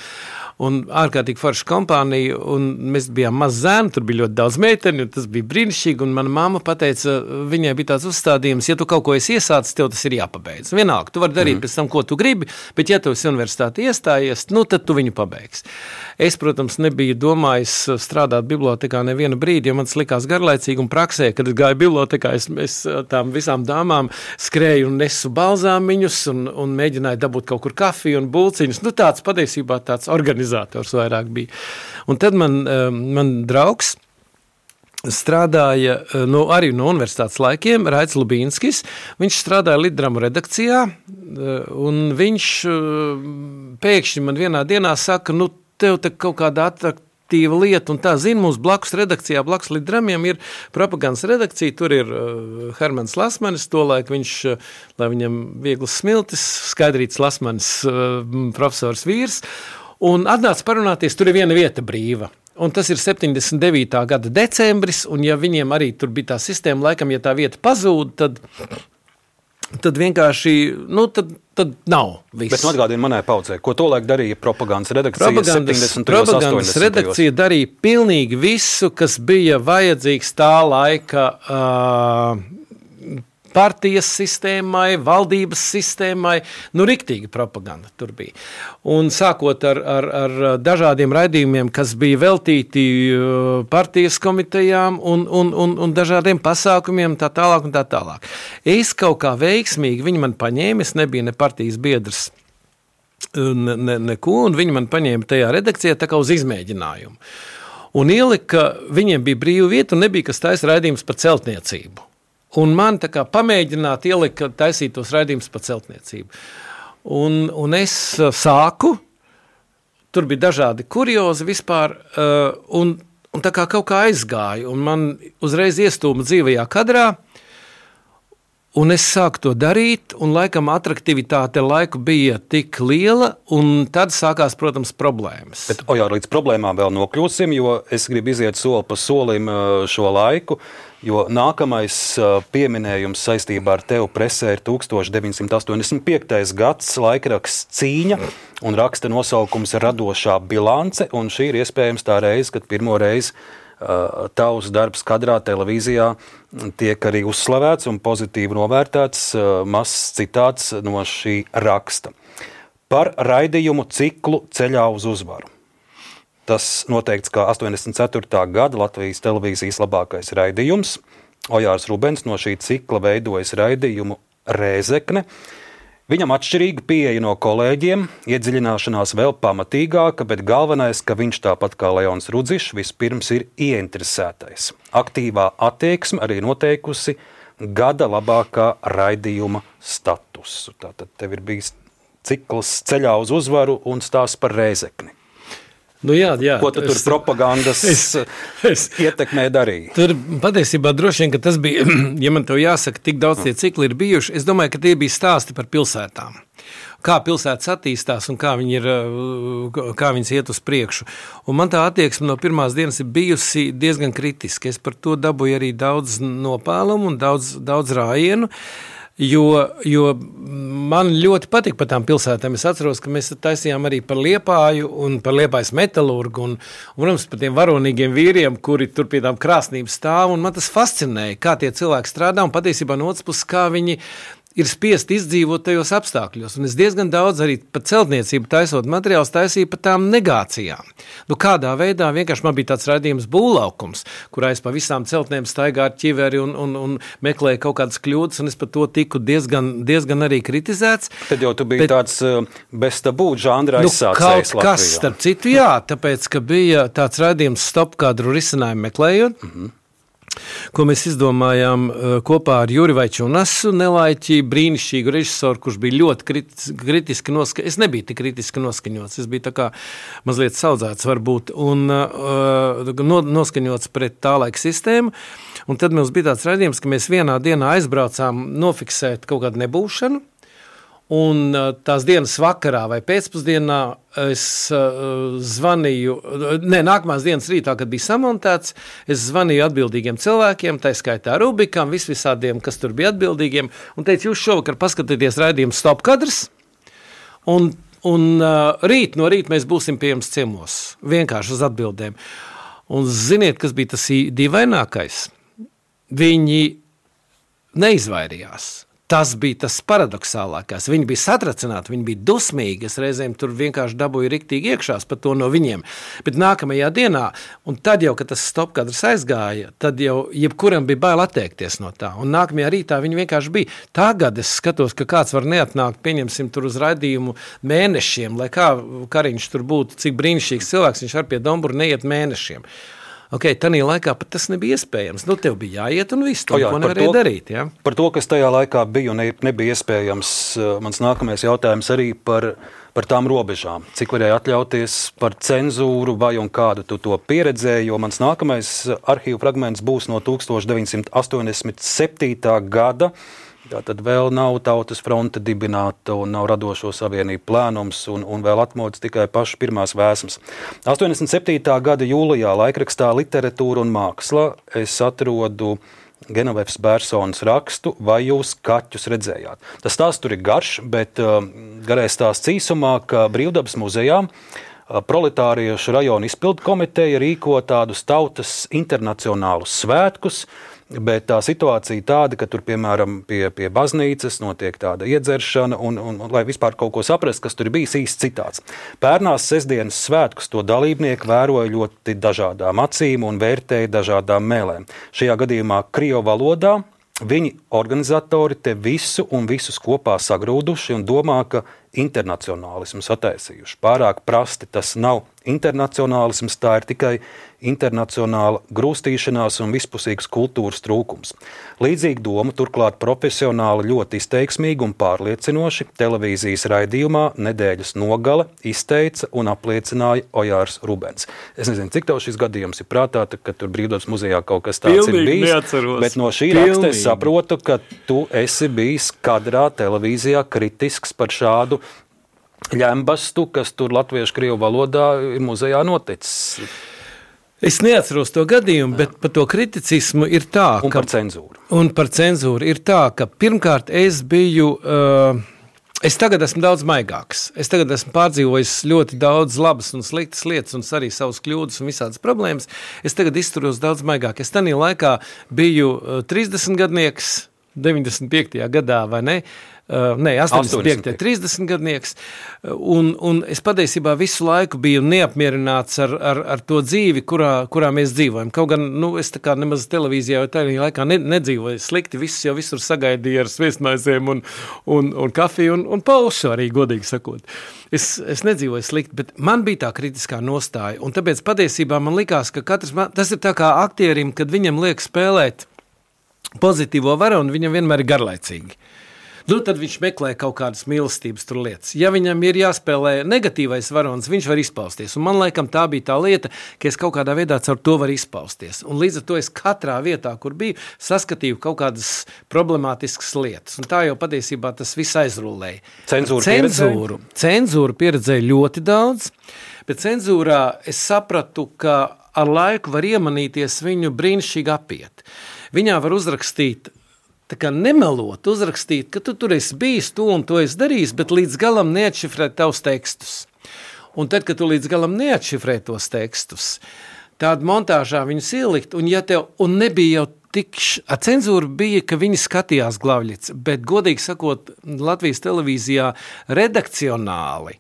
un ārkārtīgi forša kompānija, un mēs bijām maz zēni, tur bija ļoti daudz meiteni, un tas bija brīnišķīgi, un mana mamma pateica, viņai bija tāds uzstādījums, ja tu kaut ko esi iesācis, tev tas ir jāpabeidz. Vienalga, tu vari darīt mm. pēc tam, ko tu gribi, bet ja tu esi universitāti iestājies, nu tad tu viņu pabeigsi. Es, protams, nebiju domājis strādāt bibliotekā nevienu brīdi, jo man tas likās garlaicīgi, un praksē, kad es gāju bibliotekā, es, es tām visām dāmām skrēju un nesu balzāmiņus, un, un mēģināju dabūt kaut kur kafiju un bulciņus. Nu tāds patiesībā tāds organizators vairāk bija. Un tad man, man draugs strādāja no, arī no universitātes laikiem, Raits Lubīnskis. Viņš strādāja Litdramu redakcijā, un viņš pēkšņi man vienā dienā saka, nu, tev te kaut kāda atraktīva lieta, un tā, zini, mums blakus redakcijā, blakus Litdramiem ir propagandas redakcija, tur ir uh, Hermans Lasmanis, tolaik viņš, uh, lai viņam vieglas smiltis, Skaidrīts Lasmanis, uh, profesors vīrs, un atnāca parunāties, tur ir viena vieta brīva. Un tas ir septiņdesmit devītā gada decembris, un ja viņiem arī tur bija tā sistēma, laikam, ja tā vieta pazūd, tad, tad vienkārši, nu, tad, tad nav viss. Bet nu atgādini manai paudzei, ko tolaik darīja propagandas redakcija propagandas, propagandas redakcija darīja pilnīgi visu, kas bija vajadzīgs tā laika uh, partijas sistēmai, valdības sistēmai, nu riktīgi propaganda tur bija. Un sākot ar, ar, ar dažādiem raidījumiem, kas bija veltīti partijas komitejām un, un, un, un dažādiem pasākumiem, tā tālāk un tā tālāk. Es kaut kā veiksmīgi, viņi man paņēma, es nebija ne partijas biedrs, ne, ne, neko, un viņi man paņēma tajā redakcijā tā kā uz izmēģinājumu. Un ielika, viņiem bija brīva vieta un nebija kas taisa raidījums par celtniecību. Un man tā kā pamēģināt ielika taisīt tos raidījumus par celtniecību. Un, un es sāku, tur bija dažādi kuriozi vispār, un, un tā kā kaut kā aizgāju, un man uzreiz iestūma dzīvajā kadrā, un es sāku to darīt, un laikam atraktivitāte laiku bija tik liela, un tad sākās, protams, problēmas. Bet, Ojār, līdz problēmām vēl nokļūsim, jo es gribu iziet soli pa solim šo laiku, jo nākamais pieminējums saistībā ar tevu presē ir tukstovš deviņsimt astoņdesmit piektais gads, laikraksts Cīņa, un raksta nosaukums Radošā bilance, un šī ir iespējams tā reize, kad pirmo reizi uh, tavs darbs kadrā televīzijā tiek arī uzslavēts un pozitīvi novērtēts, uh, mazs citāts no šī raksta. Par raidījumu ciklu Ceļā uz uzvaru. Tas noteikts kā astoņdesmit ceturtā gada Latvijas televīzijas labākais raidījums. Ojārs Rubens no šī cikla veidojas raidījumu Rēzekne. Viņam atšķirīga pieeja no kolēģiem, iedziļināšanās vēl pamatīgāka, bet galvenais, ka viņš tāpat kā Leons Rudzišs vispirms ir ieinteresētais. Aktīvā attieksme arī noteikusi gada labākā raidījuma statusu. Tātad tev ir bijis cikls Ceļā uz uzvaru un stāsts par Rēzekni. Nu jā, jā, Ko tu tur es, propagandas es, es, ietekmē darīja? Tur patiesībā droši vien, ka tas bija, ja man tev jāsaka, tik daudz tie cikli ir bijuši, es domāju, ka tie bija stāsti par pilsētām. Kā pilsētas attīstās un kā, viņi ir, kā viņas iet uz priekšu. Un man tā attieksme no pirmās dienas ir bijusi diezgan kritiska. Es par to dabūju arī daudz nopēlumu un daudz, daudz rājienu. Jo, jo man ļoti patika par tām pilsētām. Es atceros, ka mēs taisījām arī par Liepāju un par Liepājas metalurgu un, un protams, par tiem varonīgiem vīriem, kuri tur pie tām krāsnīm stāv, un man tas fascinēja, kā tie cilvēki strādā, un patiesībā no otras puses, kā viņi ir spiest izdzīvot tajos apstākļos. Un es diezgan daudz arī par celtniecību taisot materiālus taisīju par tām negācijām. Nu, kādā veidā vienkārši man bija tāds raidījums Būvlaukums, kurā es pa visām celtnēm staigāju ar ķiveri un, un, un meklēju kaut kādas kļūdas, un es par to tiku diezgan, diezgan arī kritizēts. Tad jau tu biji bet, tāds bez tabū žanra nu, aizsācējs kaut kas, starp citu, jā, tāpēc, ka bija tāds raidījums Stop kadru risinājumu meklējot, mm-hmm. ko mēs izdomājām kopā ar Juri Vaičunasu, nelaiķi brīnišķīgu režisoru, kurš bija ļoti kritiski noskaņots. Es nebiju tik kritiski noskaņots, es biju tā kā mazliet saudzēts varbūt un uh, noskaņots pret tā laika sistēmu. Un tad mums bija tāds raidījums, ka mēs vienā dienā aizbraucām nofiksēt kaut kādu nebūšanu. Un tās dienas vakarā vai pēcpusdienā es uh, zvanīju, ne, nākamās dienas rītā, kad bija samontēts, es zvanīju atbildīgiem cilvēkiem, tā skaitā Rubikam, vis visādiem, kas tur bija atbildīgiem, un teicu, jūs šovakar paskatieties raidījumu Stop kadrs, un, un uh, rīt no rīt mēs būsim pie jums ciemos, vienkārši uz atbildēm. Un ziniet, kas bija tas dīvainākais? Viņi neizvairījās. Tas bija tas paradoxālākais. Viņi bija satracināti, viņi bija dusmīgi. Es reizēm tur vienkārši dabūju riktīgi iekšās par to no viņiem. Bet nākamajā dienā, un tad jau, kad tas Stop kadrs aizgāja, tad jau jebkuram bija bail atteikties no tā. Un nākamajā rītā viņi vienkārši bija. Tagad es skatos, ka kāds var neatnākt, pieņemsim tur uz raidījumu mēnešiem, lai kā Kariņš tur būtu, cik brīnišķīgs cilvēks, viņš ar pie Domburu neiet mēnešiem. Ok, tanī laikā pat tas nebija iespējams. Nu, tev bija jāiet un viss, to, o jā, ko nevarēja darīt. Ja? Par to, kas tajā laikā bija un nebija iespējams, mans nākamais jautājums arī par, par tām robežām. Cik varēja atļauties par cenzūru vai un kādu tu to pieredzēji, jo mans nākamais arhīvu fragments būs no tūkstoš deviņsimt astoņdesmit septītā gada. Tātad vēl nav Tautas fronte dibināta un nav Radošo savienību plēnums un, un vēl atmodas tikai pašas pirmās vēsmas. astoņdesmit septītā gada jūlijā laikrakstā Literatūra un māksla es atrodu Genovefs Bērsonas rakstu, vai jūs kaķus redzējāt. Tas stāsts tur ir garš, bet uh, garais stāsts īsumā, ka Brīvdabas muzejā uh, proletāriešu rajona izpildu komiteja rīko tādus tautas internacionālus svētkus, bet tā situācija tāda, ka tur, piemēram, pie, pie baznīcas notiek tāda iedzeršana, un, un, un lai vispār kaut ko saprast, kas tur bijis īsts citāts. Pērnās sestdienas svētkus to dalībnieki vēroja ļoti dažādām acīm un vērtēja dažādām mēlēm. Šajā gadījumā krievu valodā viņi organizatori te visu un visus kopā sagrūduši un domā, ka internacionālisms attaisījuši. Pārāk prasti tas nav internacionālisms, tā ir tikai internacionāla grūstīšanās un vispusīgas kultūras trūkums. Līdzīgi doma turklāt profesionāli ļoti izteiksmīgi un pārliecinoši televīzijas raidījumā Nedēļas nogale izteica un apliecināja Ojārs Rubens. Es nezinu, cik tev šis gadījums ir prātā, ka tur Brīvdabas muzejā kaut kas tāds Pilnīgi ir bijis, neatceros. Bet no šī Pilnīgi. raksta es saprotu, ka tu esi bijis kadrā televīzijā kritisks par šādu ļembastu, kas tur latviešu krievu valodā ir muzejā noticis. Es neatceros to gadījumu, bet par to kriticismu ir tā, un ka... par cenzūru. Un par cenzūru ir tā, ka pirmkārt es biju... Uh, es tagad esmu daudz maigāks. Es tagad esmu pārdzīvojis ļoti daudz labas un sliktas lietas un arī savas kļūdas un visādas problēmas. Es tagad izturos daudz maigāk. Es tanī laikā biju uh, trīsdesmitgadnieks, deviņdesmit piektajā gadā, vai ne? Uh, nē, astoņdesmit piektajā trīsdesmitgadnieks, un, un es patiesībā visu laiku biju neapmierināts ar, ar, ar to dzīvi, kurā, kurā mēs dzīvojam. Kaut gan, nu, es tā kā nemaz televīzijā vai tajā laikā ne, nedzīvoju slikti, viss jau visur sagaidīja ar sviestmaizēm un, un, un kafiju un, un paušu arī, godīgi sakot. Es, es nedzīvoju slikti, bet man bija tā kritiskā nostāja, un tāpēc patiesībā man likās, ka katrs, tas ir tā kā aktierim, kad viņam liek spēlēt pozitīvo varu, un viņam vienmēr ir garlaicīgi. Nu, tad viņš meklē kaut kādas mīlestības tur lietas. Ja viņam ir jāspēlē negatīvais varonis, viņš var izpausties. Un man laikam tā bija tā lieta, ka es kaut kādā veidā caur to varu izpausties. Un līdz ar to es katrā vietā, kur biju, saskatīju kaut kādas problemātiskas lietas. Un tā jau patiesībā tas viss aizrullēja. Cenzūru Cenzūru, cenzūru pieredzēju ļoti daudz, bet cenzūrā es sapratu, ka ar laiku var iemanīties viņu brīnišķīgi apiet. Viņā var uzrakstīt, tā kā nemelot, uzrakstīt, ka tu tur esi bijis, tu un to esi darījis, bet līdz galam neatšifrēt tavus tekstus. Un tad, kad tu līdz galam neatšifrē tos tekstus, tādu montāžā viņus ielikt, un, ja tev, un nebija jau tik ar cenzūru bija, ka viņi skatījās Glavļicu, bet godīgi sakot, Latvijas televīzijā redakcionāli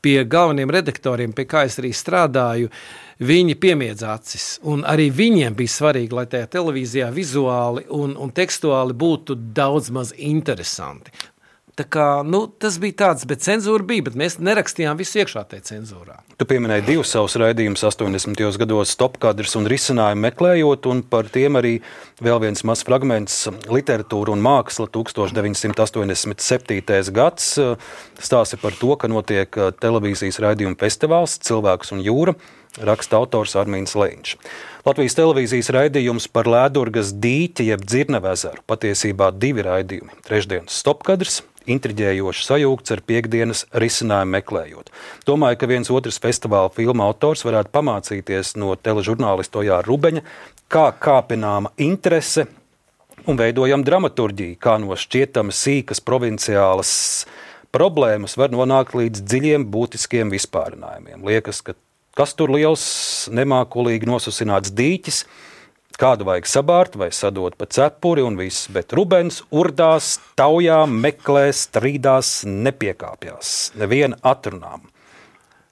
pie galveniem redaktoriem, pie kā es arī strādāju, viņi piemiedz acis. Un arī viņiem bija svarīgi, lai tajā televīzijā vizuāli un, un tekstuāli būtu daudz maz interesanti. Tā kā, nu, tas bija tāds, bet cenzūra bija, bet mēs nerakstījām visu iekšā tajā cenzūrā. Tu pieminēji divus savus raidījumus astoņdesmitajos gados stopkadrs un risinājumu meklējot, un par tiem arī vēl viens mazs fragments literatūra un māksla tūkstoš deviņsimt astoņdesmit septītais gads stāsta par to, ka notiek televīzijas raidījuma festivāls Cilvēks un jūra, raksta autors Armīns Leņš. Latvijas televīzijas raidījums par Lēdurgas dīķi jeb Dzirnavezaru, patiesībā divi raidījumi. Trešdienas stopkadrs, intriģējoši sajūgts ar piekdienas risinājumu meklējot. Domāju, ka viens otrs festivāla filma autors varētu pamācīties no teležurnālista Ojāra Rubeņa, kā kāpināma interese un veidojam dramaturģiju, kā no šķietama sīkas provinciālas problēmas var nonākt līdz dziļiem būtiskiem vispārinājumiem. Liekas, ka kas tur liels, nemākulīgi nosusināts dīķis, kādu vajag sabārt vai sadot pa cepuri un viss, bet Rubens urdās, taujā, meklē, strīdās, nepiekāpjās, neviena atrunām.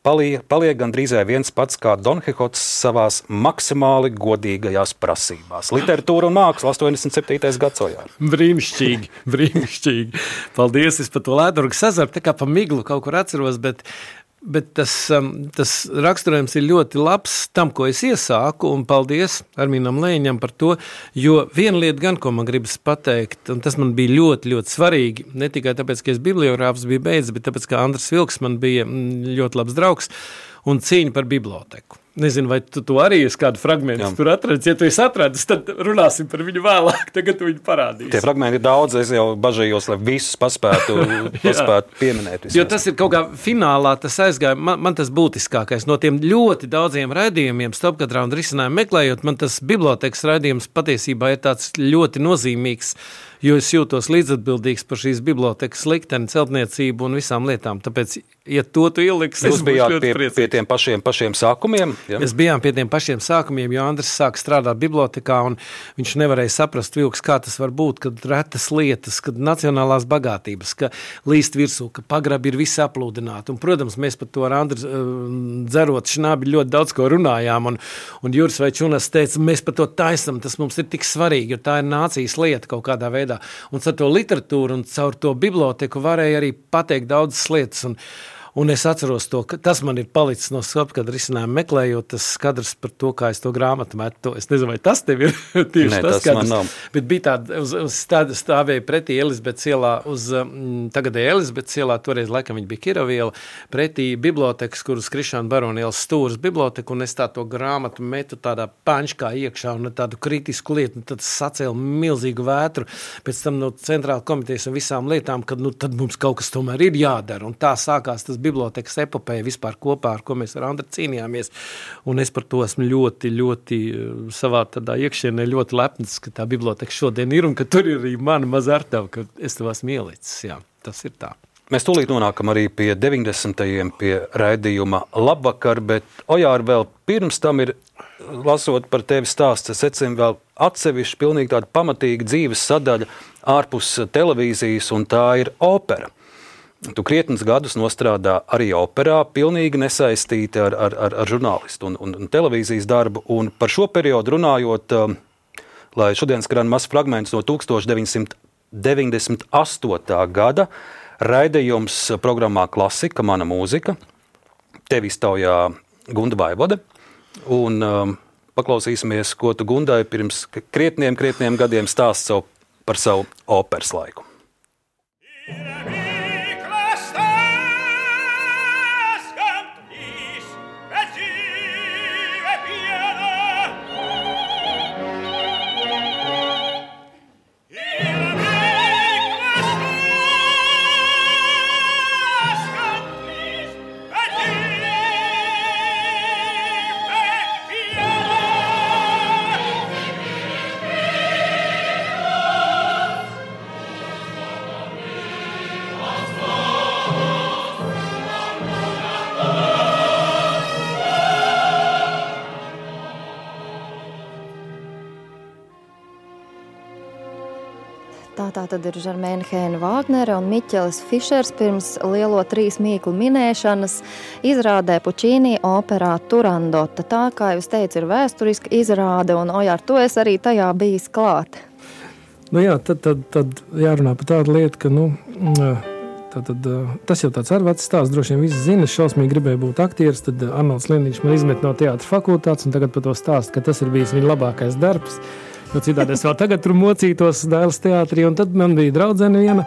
Paliek, paliek gandrīzai viens pats kā Don Kihots savās maksimāli godīgajās prasībās. Literatūra un māksla astoņdesmit septītais gads Ojār. Brīnišķīgi, brīnišķīgi. Paldies, es par to Lēdurgas ezeru, tā kā pa miglu kaut kur atceros, bet Bet tas, tas raksturojums ir ļoti labs tam, ko es iesāku, un paldies Armīnam Leņam par to, jo viena lieta gan, ko man gribas pateikt, un tas man bija ļoti, ļoti svarīgi, ne tikai tāpēc, ka es bibliogrāfs biju beidzis, bet tāpēc, ka Andris Vilks man bija ļoti labs draugs un cīņa par biblioteku. Nezinu, vai tu, tu arī esi kādu fragmentu Jā. Tur atradis. Ja tu esi atradis, tad runāsim par viņu vēlāk. Tagad tu viņu parādīsi. Tie fragmenti ir daudz, es jau bažījos, lai visus paspētu, paspētu pieminēt. Vismaz. Jo tas ir kaut kā finālā, tas aizgāja, man, man tas būtiskākais. No tiem ļoti daudziem raidījumiem, stopkadrā un risinājumu meklējot, man tas bibliotekas raidījums patiesībā ir tāds ļoti nozīmīgs, jo es jūtos līdzatbildīgs par šīs bibliotekas likteni, celtniecību un visām lietām. Tāpēc, ja to tu ieliks, es būšu ļoti pie, priecīgs. pie tiem pašiem, pašiem sākumiem? Ja? Mēs bijām pie tiem pašiem sākumiem, jo Andris sāk strādāt bibliotekā, un viņš nevarēja saprast, Vilks, kā tas var būt, kad retas lietas, kad nacionālās bagātības, ka līst virsū, ka pagrabi ir visi aplūdināti. Un, protams, mēs par to ar Andri dzerot šnabi ļoti daudz ko runājām, un, un Juris vai Čunas teica, mēs par to taisam, tas mums ir tik svarīgi, jo tā ir nācijas lieta kaut kādā veidā. Un caur to literatūru un caur to biblioteku varēja arī pateikt daudzas lietas. Un, un es atceros to, ka tas man ir palicis no stopkadra risinājuma meklējot, tas skadrs par to, kā es to grāmatu metu. Es nezinu, vai tas tev ir tieši Nē, tas, tas skadrs. Bet bija tāda, uz, uz stād, stāvēja pretī Elizabetes ielā, uz mm, tagadēja Elizabetes ielā, toreiz laikam viņa bija Kiroviela, pretī bibliotekas, kur uz Krišāna Barona ielas stūras biblioteka, un es tā to grāmatu metu tādā paņškā iekšā un tādu kritisku lietu, un tad sacēla milzīgu vētru, pēc tam no centrāla komitejas un visām lietām, kad nu, tad mums kaut kas tomēr ir jādara, un tā sākās tas bibliotekas epopēja vispār kopā, ar ko mēs ar Andri cīnījāmies, un es par to esmu ļoti, ļoti savā tādā iekšienē ļoti lepns, ka tā biblioteka šodien ir, un ka tur ir arī mana maza artava, ka es tev esmu ielicis, jā, tas ir tā. Mēs tūlīt nonākam arī pie deviņdesmitajiem pie raidījuma Labvakar, bet Ojār vēl pirms tam ir, lasot par tevi stāsts, es secinu vēl atsevišķi pilnīgi tāda pamatīga dzīves sadaļa ārpus televīzijas, un tā ir opera. Tu krietnes gadus nostrādā arī operā, pilnīgi nesaistīti ar, ar, ar, ar žurnālistu un, un, un televīzijas darbu. Un par šo periodu runājot, lai šodien skan mazs fragments no tūkstoš deviņsimt deviņdesmit astotā gada raidījums programmā Klasika, mana mūzika. Tevi iztaujā Gunda Vaivode. Un um, paklausīsimies, ko tu Gundai pirms krietniem, krietniem gadiem stāst savu, par savu operas laiku. Tā tad ir Žermēna Heina Vāgnere un Miķelis Fišers pirms lielo trīs mīklu minēšanas izrādē Pučīnī operā Turandota. Tā, kā jūs teicu, ir vēsturiska izrāde, un Ojār, tu esi arī tajā bijis klāt. Nu jā, tad, tad, tad jārunā par tādu lietu, ka, nu, tā, tad, tas jau tāds ar vecs stāsts, droši vien visi zina, es šausmīgi gribēju būt aktieris, tad Arnolds Lienīčs man izmet no teātra fakultātes, un tagad par to stāst, ka tas ir bijis viņa labākais darbs. Jo citādi es vēl tagad tur mocītos Dailes teātrī, un tad man bija draudzene viena,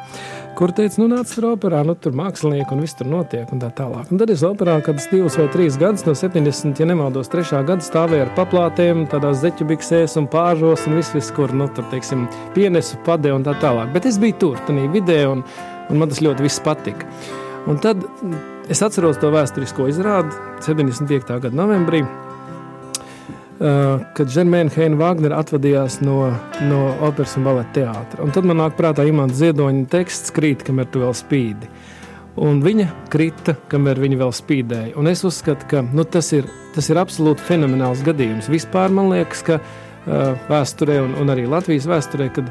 kur teica, nu nāc tur operā, nu tur mākslinieki un viss tur notiek un tā tālāk. Un tad es operā kādas divas vai trīs gadus, no septiņdesmit, ja nemaldos, trešā gada stāvēju ar paplātēm, tādās zeķubiksēs un pāržos un viss, viss, kur, nu tur, teiksim, pienesu, pade un tā tālāk. Bet es biju tur, tanī vidē, un, un man tas ļoti viss patika. Un tad es atceros to vēsturisko izrādi septiņdesmit piektā gada novembrī, kad Žermēna Heina Vāgnere atvadījās no, no operas un baleta teātra. Un tad man nāk prātā Imanta Ziedoņa teksts krīt, kamēr tu vēl spīdi. Un viņa krita, kamēr viņa vēl spīdēja. Un es uzskatu, ka nu, tas, ir, tas ir absolūti fenomenāls gadījums. Vispār man liekas, ka uh, vēsturē un, un arī Latvijas vēsturē, kad,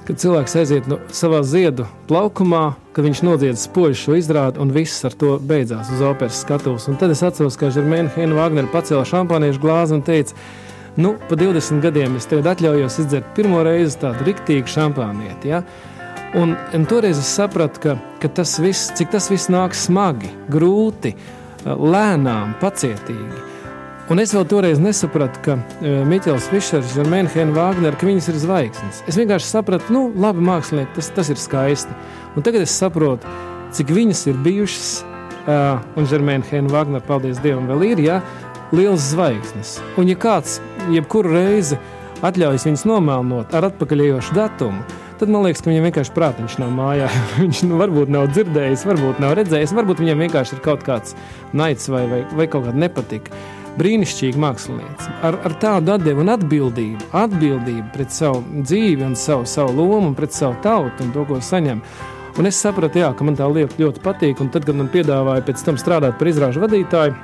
kad cilvēks aiziet no savā ziedu plaukumā, kad viņš nodzied spoži šo izrādi un viss ar to beidzās uz operas skatuves. Un tad es atceros, kā Žermēna Heina Vāgnere pacēla šampāniešu glāzi un teica, nu, pa divdesmit gadiem es tagad atļaujos izdzert pirmo reizi tādu riktīgu šampānieti, ja? Un, un toreiz es sapratu, ka, ka tas viss, cik tas viss nāk smagi, grūti, lēnām, pacietīgi. Un es vēl toreiz nesapratu, ka uh, Miķelis Fišers, Žermēna Heina Vāgnere, ka viņas ir zvaigznes. Es vienkārši sapratu, nu, labi mākslinieki, tas, tas ir skaisti. Un tagad es saprotu, cik viņas ir bijušas, uh, un Žermēna Heina Vāgnere, paldies Dievam, vēl ir, ja, liels zvaigznes. Un ja kāds jebkuru reizi atļaujas viņas nomēlnot ar atpakaļējošu datumu, tad man liekas, ka viņam vienkārši prātiņš nav mājā. Viņš nu, varbūt nav dzirdējis, varbūt nav redzējis, varbūt viņam vienkārši ir kaut kāds naids vai, vai, vai kaut kāda nepatika. Brīnišķīga māksliniece, ar, ar tādu atdevu un atbildību, atbildību pret savu dzīvi un savu, savu lomu un pret savu tautu un to, ko saņem. Un es sapratu, jā, ka man tā lieta ļoti patīk, un tad, kad man piedāvāja pēc tam strādāt par izrāžu vadītāju,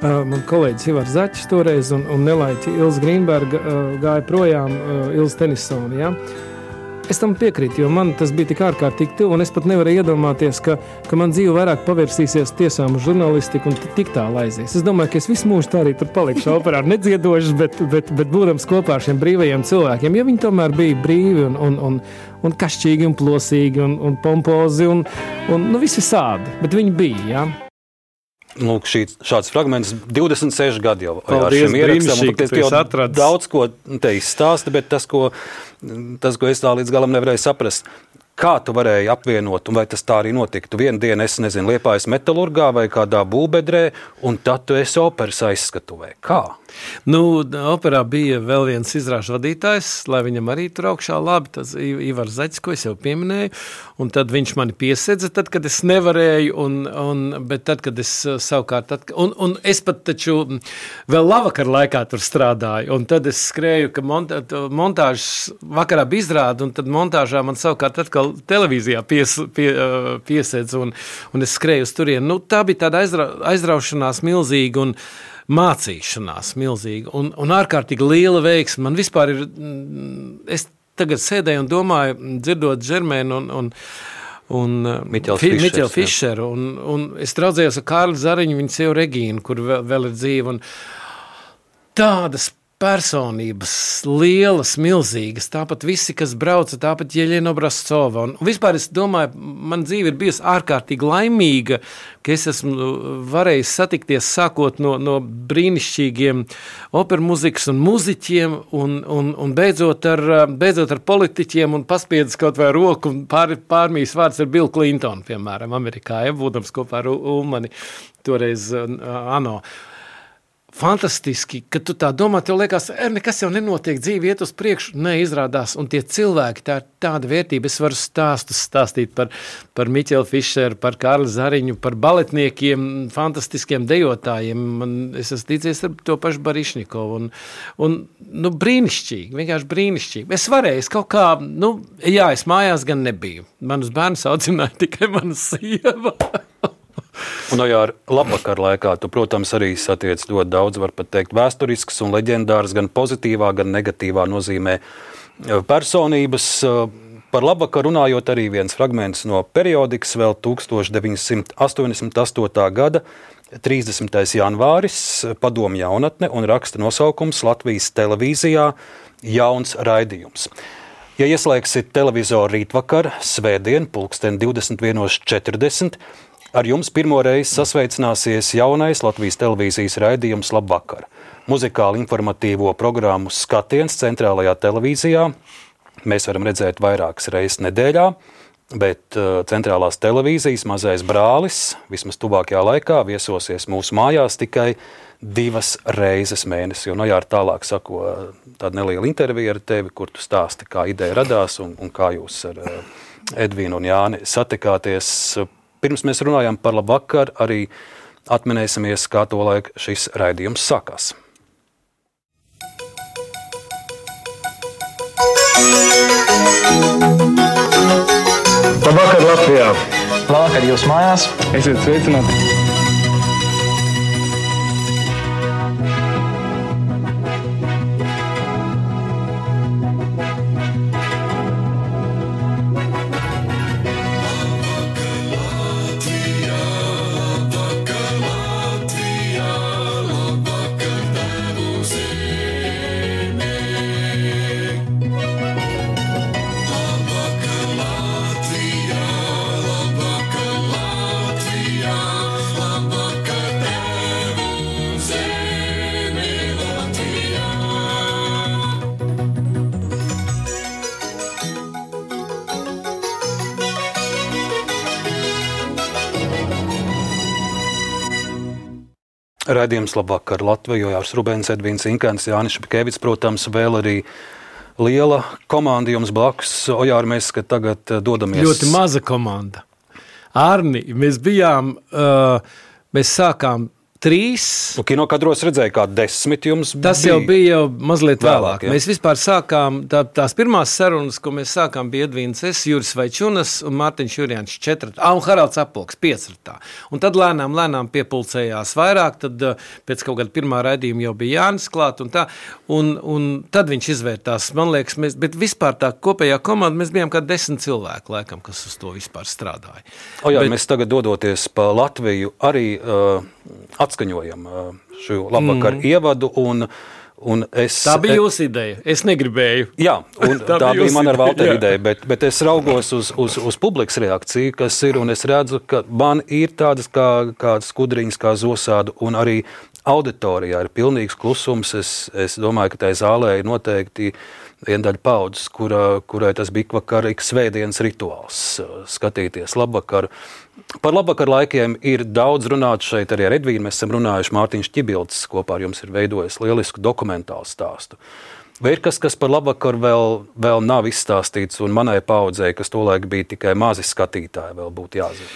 man kolēģis Ivars Zaķis toreiz un, un nelaiķi Ilza Grīnberga gāja projām Ilza Tenisona, jā. Es tam piekrītu, jo man tas bija tik ārkārtīgi tuvu, un es pat nevarēju iedomāties, ka, ka man dzīve vairāk pavērsīsies tiesām uz žurnalistiku un tik tālu aizies. Es domāju, ka es visu mūžu tā arī tur palikšu operā nedziedošs, bet, bet, bet būdams kopā ar šiem brīvajiem cilvēkiem, jo viņi tomēr bija brīvi un, un, un, un kašķīgi un plosīgi un, un pompozi un, un nu, visi sādi, bet viņi bija, jā. Lūk, šī, šāds fragments, divdesmit seši gadi jau ar Paldies, šim ierakstam, un tu jau atradis. Daudz ko te izstāsti, bet tas, ko, tas, ko es tā līdz galam nevarēju saprast, kā tu varēji apvienot, un vai tas tā arī notika? Tu vienu dienu, es nezinu, Liepājas metalurgā vai kādā būvbedrē, un tad tu esi operas aizskatuvē. Kā? Nu, operā bija vēl viens izrāžu vadītājs, lai viņam arī tur augšā labi, tas Ivars Zaķis, ko es jau pieminēju, un tad viņš mani piesedza, tad, kad es nevarēju, un, un, bet tad, kad es savukārt, tad, un, un es pat taču vēl lavakar laikā tur strādāju, un tad es skrēju, ka monta, montāžas vakarā bija izrāda, un tad montāžā man savukārt atkal televīzijā pies, pie, piesedza, un, un es skrēju uz turienu. Nu, tā bija tāda aizra, aizraušanās milzīga, un mācīšanās milzīga un, un ārkārtīgi liela veiksme. Man vispār ir, es tagad sēdēju un domāju, dzirdot Žermēnu un, un, un Miķeli Fišeru, un, un es draudzējos ar Kārli Zariņu, viņa sievu Regīnu, kur vēl, vēl ir dzīva, un tādas personības, lielas, milzīgas, tāpat visi, kas brauca, tāpat Jeļena Obrazcova. Un vispār es domāju, man dzīve ir bijusi ārkārtīgi laimīga, ka es esmu varējis satikties sākot no, no brīnišķīgiem operu muzikas un muziķiem un, un, un beidzot, ar, beidzot ar politiķiem un paspiedis kaut vai roku un pār, pārmīs vārds ar Bill Clinton, piemēram, Amerikā, ja, būdams kopā ar Ulmani, toreiz uh, ANO. Fantastiski, ka tu tā domā, tev liekas, er, nekas jau nenotiek, dzīve iet uz priekšu, neizrādās, un tie cilvēki, tā ir tāda vērtība, es varu stāstus stāstīt par, par Miķeli Fišeru, par Kārli Zariņu, par baletniekiem, fantastiskiem dejotājiem, man, es esmu ticies ar to pašu Barišņikovu, un, un nu, brīnišķīgi, vienkārši brīnišķīgi. Es varēju, es kaut kā, nu, jā, es mājās gan nebiju, manus bērnus audzināja tikai mana sieva. Un jau ar labvakar laikā tu, protams, arī satiec ļoti daudz, var pat teikt, vēsturisks un leģendārs gan pozitīvā, gan negatīvā nozīmē personības. Par labvakaru runājot arī viens fragments no periodikas vēl tukstovs deviņsimt astoņdesmit astotā gada trīsdesmitais janvāris, Padomju jaunatne un raksta nosaukums Latvijas televīzijā jauns raidījums. Ja ieslēgsit televizoru rītvakar, svētdien, pulksten divdesmit viens četrdesmit, ar jums pirmo reizi sasveicināsies jaunais Latvijas televīzijas raidījums Labvakar. Muzikāli informatīvo programmu Skatiens centrālajā televīzijā mēs varam redzēt vairākas reizes nedēļā, bet uh, centrālās televīzijas mazais brālis vismaz tuvākajā laikā viesosies mūsu mājās tikai divas reizes mēnesī. Un Ojār tālāk sako tāda neliela intervija ar tevi, kur tu stāsti, kā ideja radās un, un kā jūs ar uh, Edvīnu un Jāni satikāties. Pirms mēs runājam par Labvakar, arī atminēsimies, kā to laik šis raidījums sākās. Labvakar Latvijā! Labvakar jūs mājās! Esiet sveicināti! Raidījums Labvakar Latviju, Ojārs Rubens, Edvīns Inkans, Jānis Šepkevics, protams, vēl arī liela komanda jums blakus. Ojār, mēs tagad dodamies. Ļoti maza komanda. Arni, mēs bijām, uh, mēs sākām trīs. Nu, kinokadros redzēja, kā desmit jums bija. Tas jau bija jau mazliet vēlāk. vēlāk ja? Mēs vispār sākām, tā, tās pirmās sarunas, ko mēs sākām, bija Edvīns es, Juris Vaičunas un Mārtiņš Jurjāns četratā, ah, un Haralds Apolks piecratā. Un tad lēnām, lēnām piepulcējās vairāk, tad pēc kaut kāda pirmā raidījuma jau bija Jānis klāt un tā, un, un tad viņš izvērtās, man liekas, mēs, bet vispār tā kopējā komanda, mēs bijām kā desmit cilvēki, laikam, kas uz to vispār strādāja. O jā, bet, mēs tagad dodoties pa Latviju arī uh, atskaņojam šo Labvakar mm. ievadu, un, un es... Tā bija jūsu ideja, es negribēju. Jā, un tā, tā bija man ar Valteru ideja, bet, bet es raugos uz, uz, uz publikas reakciju, kas ir, un es redzu, ka man ir tādas kā, kā skudriņas, kā zosādu, un arī auditorijā ir pilnīgs klusums. Es, es domāju, ka tai zālē ir noteikti viena daļa paudzes, kura, kurai tas bija vakar ik svētdienas rituāls, skatīties Labvakaru. Par Labvakar laikiem ir daudz runāts šeit arī ar Edvīnu. Mēs esam runājuši, Mārtiņš Ķibilds kopā ar jums ir veidojis lielisku dokumentālu stāstu. Vai ir kas, kas par Labvakaru vēl, vēl nav izstāstīts, un manai paudzei, kas tolaik bija tikai mazi skatītāji, vēl būtu jāzina?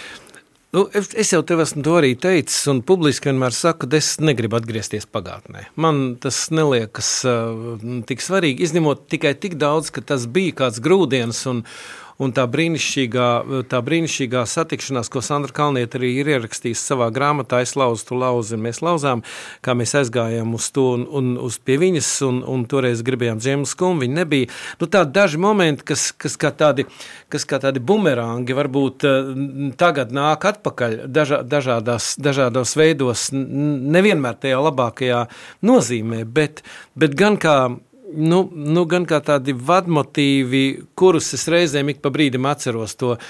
Nu, es jau tev esmu to arī teicis, un publiski vienmēr saku, ka es negribu atgriezties pagātnē. Man tas neliekas uh, tik svarīgi, izņemot tikai tik daudz, ka tas bija kāds grūdienis, un, un tā brīnišķīgā, tā brīnišķīgā satikšanās, ko Sandra Kalniete arī ir ierakstījusi savā grāmatā, es lauzu, tu lauzi, un mēs lauzām, kā mēs aizgājām uz to un, un uz pie viņas, un, un toreiz gribējām dziemas skumbu, viņa nebija. Nu, tādi daži momenti, kas, kas, kā tādi, kas kā tādi bumerangi varbūt uh, tagad nāk atpakaļ dažā, dažādās, dažādos veidos, nevienmēr tajā labākajā nozīmē, bet, bet gan kā Nu, nu, gan kā tādi vadmotīvi, kurus es reizēm ik pa brīdim atceros to uh,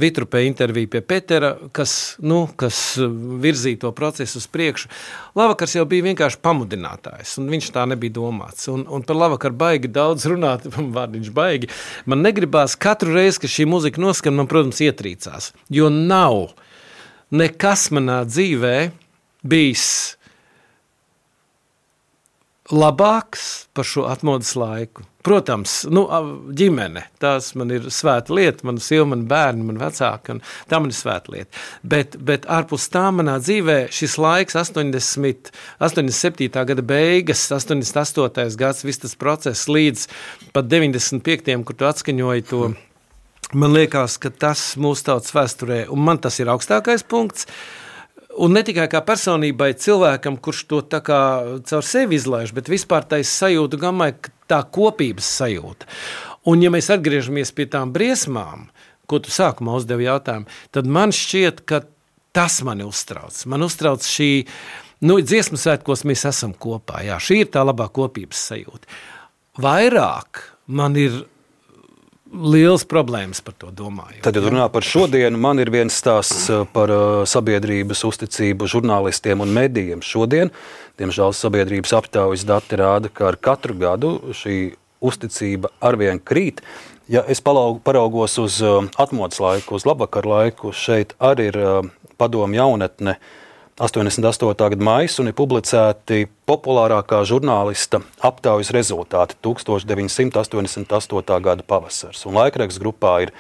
Vitrupē interviju pie Petera, kas, nu, kas virzīja to procesu uz priekšu. Labvakars jau bija vienkārši pamudinātājs, un viņš tā nebija domāts. Un, un par Labvakaru baigi daudz runāt, vārdiņš baigi. Man negribās katru reizi, ka šī muzika noskan, man, protams, ietrīcās, jo nav nekas manā dzīvē bijis labāks par šo atmodas laiku. Protams, nu, ģimene, tās man ir svēta lieta, mana sieva, man bērni, man vecāki, un tā man ir svēta lieta. Bet, bet ārpus tā manā dzīvē šis laiks, astoņdesmit, astoņdesmit septītā gada beigas, astoņdesmit astotais gads, viss tas process līdz pat deviņdesmit piektajam, kur tu atskaņoji to, man liekas, ka tas mūsu tautas vēsturē, un man tas ir augstākais punkts, Un ne tikai kā personībai, cilvēkam, kurš to tā kā caur sevi izlaiž, bet vispār tais sajūtu gammai, tā kopības sajūta. Un ja mēs atgriežamies pie tām briesmām, ko tu sākumā uzdevi jautājumu, tad man šķiet, ka tas mani uztrauc. Man uztrauc šī, nu, dziesmu svētkos mēs esam kopā, jā, šī ir tā labā kopības sajūta. Vairāk man ir liels problēmas par to domāju. Tad, ja runā par šodienu, man ir viens stāsts par sabiedrības uzticību žurnālistiem un medijiem. Šodien, diemžēl, sabiedrības aptaujas dati rāda, ka ar katru gadu šī uzticība arvien krīt. Ja es paraugos uz atmodas laiku, uz labvakar laiku, šeit arī ir padomu jaunatne astoņdesmit astotā gada maijs un ir publicēti populārākā žurnālista aptaujas rezultāti deviņpadsmit astoņdesmit astotā gada pavasars. Un laikraksts grupā ir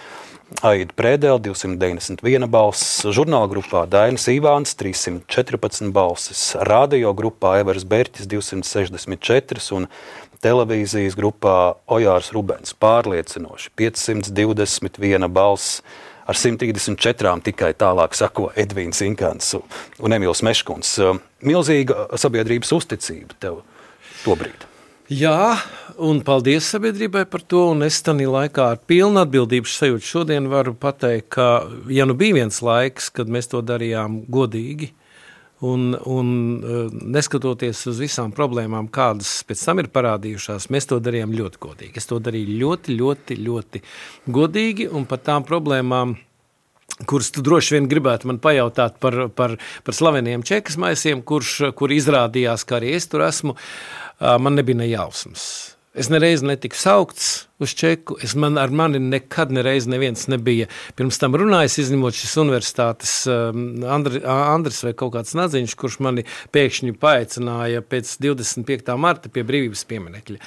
Aida Prēdele, divsimt deviņdesmit viena balss, žurnāla grupā Dainis Ivāns, trīssimt četrpadsmit balsis, radio grupā Evers Berķis, divsimt sešdesmit četri un televīzijas grupā Ojārs Rubens pārliecinoši, piecsimt divdesmit viena balss. Ar simt trīsdesmit četrām tikai tālāk sako Edvīns Inkants un Emīls Meškuns. Milzīga sabiedrības uzticība tev tobrīd. Jā, un paldies sabiedrībai par to, un es tanī laikā ar pilnu atbildības sajūtu šodien varu pateikt, ka, ja nu bija viens laiks, kad mēs to darījām godīgi, un, un neskatoties uz visām problēmām, kādas pēc tam ir parādījušās, mēs to darījām ļoti godīgi. Es to darīju ļoti, ļoti, ļoti godīgi, un par tām problēmām, kuras tu droši vien gribētu man pajautāt par, par, par slaveniem čekas maisiem, kurš, kur izrādījās, ka arī es tur esmu, man nebija ne jausmas. Es nereiz netiku saukts uz čeku, es man, ar mani nekad nereiz neviens nebija pirms tam runājis, izņemot šis universitātes Andri, Andris vai kaut kāds nadziņš, kurš mani pēkšņi paaicināja pēc divdesmit piektā marta pie brīvības pieminekļa.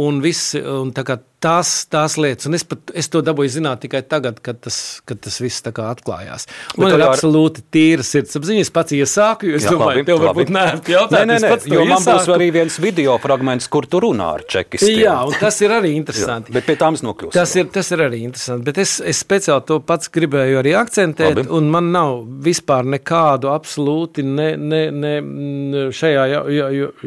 Un, viss, un tā kā tās, tās lietas, un es, pat, es to dabūju zināt tikai tagad, kad tas, kad tas viss tā kā atklājās. Man Bet ir ar... absolūti tīra sirdsapziņa, es pats iesāku, jo es jā, domāju, labi, tev varbūt neērti jautāt. Nē, nē, nē, jo man iesāku. Būs arī viens video fragments, kur tu runā ar čekistiem. Jā, un tas ir arī interesanti. jā, bet pie tām es nokļūstu. Tas ir, tas ir arī interesanti, bet es, es speciāli to pats gribēju arī akcentēt, labi. Un man nav vispār nekādu absolūti ne, ne, ne šajā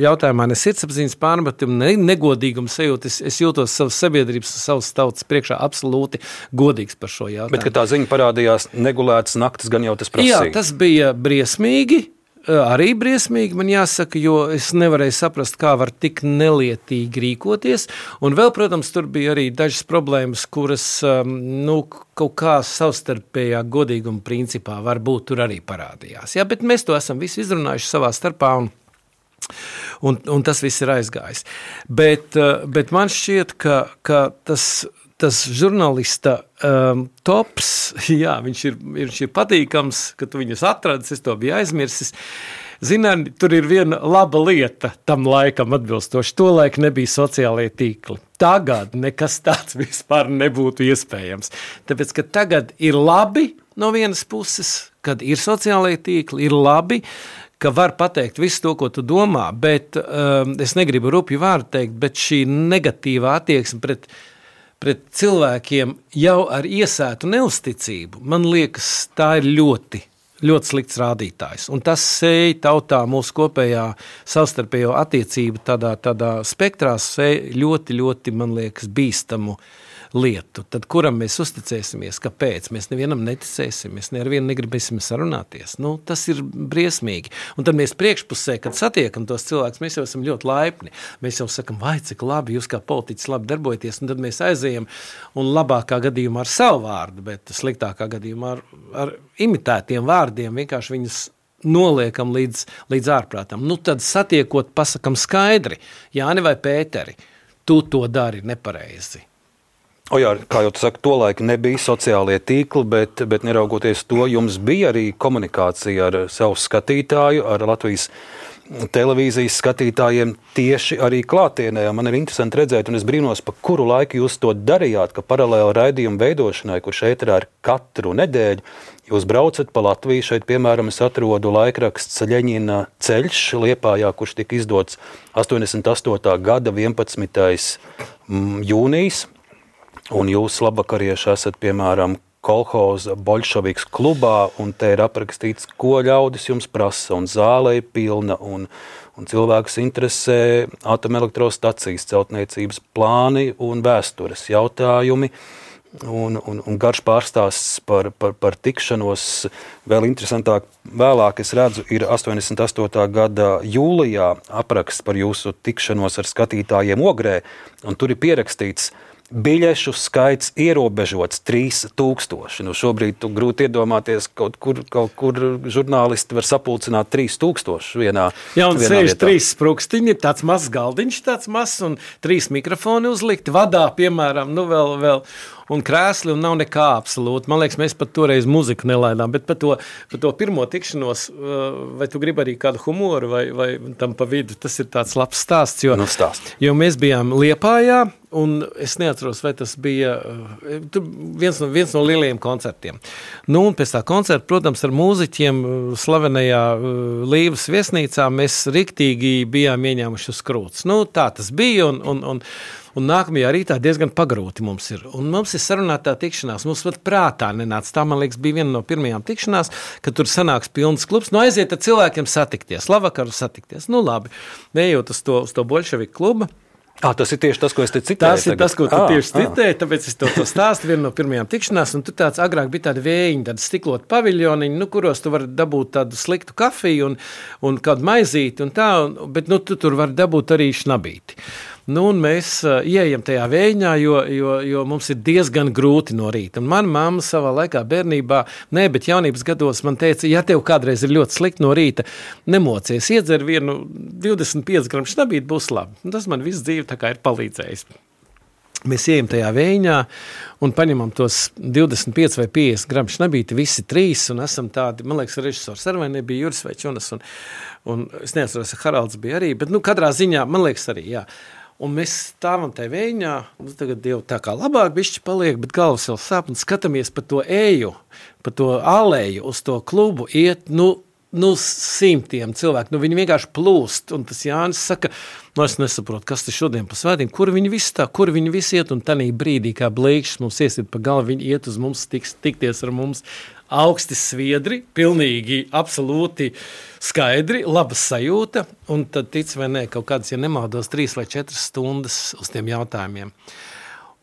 jautājumā ne sirdsapziņas pārmetumu, ne negodīgums sajūta. Es, es jūtos savas sabiedrības un savas tautas priekšā absolūti godīgs par šo jautājumu. Bet, kad tā ziņa parādījās negulētas naktis, gan jau tas prasīja. Jā, tas bija briesmīgi, arī briesmīgi, man jāsaka, jo es nevarēju saprast, kā var tik nelietīgi rīkoties. Un vēl, protams, tur bija arī dažas problēmas, kuras, nu, kaut kā savstarpējā godīguma principā varbūt tur arī parādījās. Jā, bet mēs to esam visi izrunājuši savā starpā un Un, un tas viss ir aizgājis. Bet, bet man šķiet, ka, ka tas, tas žurnālista um, tops, jā, viņš ir, viņš ir patīkams, ka tu viņus atradis, es to biju aizmirsis. Zināt, tur ir viena laba lieta tam laikam atbilstoši. Tolaik nebija sociālie tīkli. Tagad nekas tāds vispār nebūtu iespējams. Tāpēc, ka tagad ir labi no vienas puses, kad ir sociālie tīkli, ir labi, ka var pateikt visu to, ko tu domā, bet um, es negribu rupju vārdu teikt, bet šī negatīvā attieksme pret, pret cilvēkiem jau ar iesētu neusticību, man liekas, tā ir ļoti, ļoti slikts rādītājs. Un tas sēj tautā mūsu kopējā savstarpējo attiecību tādā, tādā spektrā sēj ļoti, ļoti, man liekas, bīstamu lietu. Tad kuram mēs uzticēsimies? Kāpēc? Mēs nevienam neticēsim, mēs nevienu negribēsim sarunāties. Nu, tas ir briesmīgi. Un tad mēs priekšpusē, kad satiekam tos cilvēkus, mēs jau esam ļoti laipni. Mēs jau sakam, vai cik labi, jūs kā politiķis labi darbojaties, un tad mēs aizējam un labākā gadījumā ar savu vārdu, bet sliktākā gadījumā ar, ar imitētiem vārdiem vienkārši viņus noliekam līdz, līdz ārprātam. Nu, tad satiekot, pasakam skaidri, Jāni vai Pēteri, tu to dari nepareizi. O jā, kā jau tu saki, tolaik nebija sociālie tīkli, bet, bet neraugoties to, jums bija arī komunikācija ar savu skatītāju, ar Latvijas televīzijas skatītājiem tieši arī klātienē. Man ir interesanti redzēt, un es brīnos, pa kuru laiku jūs to darījāt, ka paralēli raidījumu veidošanai, kurš ēterā ir katru nedēļu, jūs braucat pa Latviju. Šeit, piemēram, es atrodu laikraksts Ļeņina ceļš Liepājā, kurš tika izdots astoņdesmit astotā gada vienpadsmitais jūnijas. Un jūs labvakarieši esat, piemēram, kolhoza Boļševiks klubā, un te ir aprakstīts, ko ļaudis jums prasa, un zāle ir pilna, un, un cilvēkus interesē atomelektrostacijas, celtniecības plāni un vēstures jautājumi. Un, un, un garš pārstāsts par, par, par tikšanos. Vēl interesantāk, vēlāk es redzu, ir astoņdesmit astotā gada jūlijā apraksts par jūsu tikšanos ar skatītājiem Ogrē, un tur ir pierakstīts, biļešu skaits ierobežots trīs tūkstoši. Nu, šobrīd tu grūti iedomāties, kaut kur, kaut kur žurnālisti var sapulcināt trīs tūkstoši vienā vietā. Jā, un sēž trīs sprukstiņi, tāds mazs galdiņš, tāds mazs, un trīs mikrofoni uzlikti, vadā, piemēram, nu vēl, vēl, un krēsli, un nav nekā absolūti. Man liekas, mēs pat toreiz muziku nelaidām, bet par to, par to pirmo tikšanos, vai tu gribi arī kādu humoru, vai, vai tam pa vidu, tas ir tāds labs stāsts, jo, nu, stāst. Jo mēs bijām Liepājā, un es neatceros, vai tas bija viens no, viens no lielajiem koncertiem. Nu, un pēc tā koncerta, protams, ar mūziķiem slavenajā Līvas viesnīcā mēs riktīgi bijām ieņēmuši uz krūts. Nu, tā tas bija, un, un, un Un nākamajā rītā diezgan pagrūti mums ir. Un mums ir sarunātā tikšanās. Mums pat prātā nenāca. Tā, man liekas, bija viena no pirmajām tikšanās, kad tur sanāks pilns klubs. Nu, aiziet ar cilvēkiem satikties. Labvakaru satikties. Nu, labi. Ejot uz to, uz to Boļševiku klubu. Ah, tas ir tieši tas, ko es te citēju. Tas ir tagad. tas, ko tu ah, tieši citēji, tāpēc es to, to stāstu vienu no pirmajām tikšanās, un tur tāds agrāk bija tādi vējiņi, tādi stikloti paviļoniņi, nu, kuros tu vari dabūt tādu sliktu kafiju un, un kādu maizīti un tā, un, bet nu, tu tur vari dabūt arī šnabīti. Nu, un mēs uh, ieejam tajā vējiņā, jo, jo, jo mums ir diezgan grūti no rīta. Un mana mamma savā laikā bērnībā, ne, bet jaunības gados man teica, ja tev kādreiz ir ļoti slikti no rīta, nemocies, iedzer vienu divdesmit pieci gramu šnabīti, būs labi. Un tas man visu dzīvi tā kā ir palīdzējis. Mēs ejam tajā vējiņā un paņemam tos divdesmit pieci vai piecdesmit gramu šnabīti, visi trīs, un esam tādi, man liekas, režisors Arvai nebija, Juris vai Čunas, un, un es neatceros, Haralds bija arī, bet, nu, katrā ziņā, man liekas arī, jā. Un mēs stāvam tajā vējiņā, nu, tagad jau tā kā labāk bišķi paliek, bet galvas vēl sāp, un skatāmies pa to eju, pa to aleju, uz to klubu iet, nu, nu simtiem cilvēku, nu viņi vienkārši plūst, un tas Jānis saka, nu es nesaprotu, kas te šodien pa svētiem, kur viņi visi tā, kur viņi visi iet, un tanī brīdī, kā blīkšs mums iesiet pa galvu, viņi iet uz mums, tiks, tikties ar mums, augsti sviedri, pilnīgi, absolūti skaidri, laba sajūta, un tad tic vai nē, kaut kādas, ja nemaldos, trīs vai četras stundas uz tiem jautājumiem.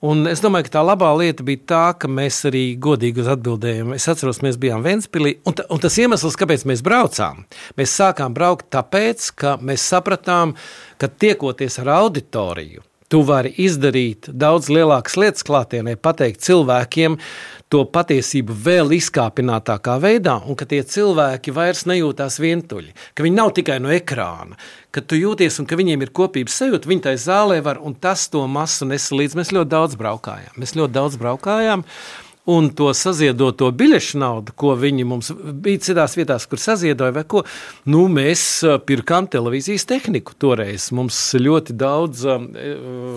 Un es domāju, ka tā labā lieta bija tā, ka mēs arī godīgi uz atbildējām. Es atceros, mēs bijām Ventspilī, un, ta, un tas iemesls, kāpēc mēs braucām, mēs sākām braukt tāpēc, ka mēs sapratām, ka tiekoties ar auditoriju, tu vari izdarīt daudz lielākas lietas klātienē, pateikt cilvēkiem to patiesību vēl izkāpinātākā veidā, un ka tie cilvēki vairs nejūtās vientuļi, ka viņi nav tikai no ekrāna, ka tu jūties un ka viņiem ir kopības sajūta, viņi tai zālē var, un tas to masu nesa līdz. Mēs ļoti daudz braukājām, mēs ļoti daudz braukājām, un to saziedoto biļešu naudu, ko viņi mums bija citās vietās, kur saziedoja vai ko, nu, mēs pirkām televīzijas tehniku toreiz. Mums ļoti daudz uh,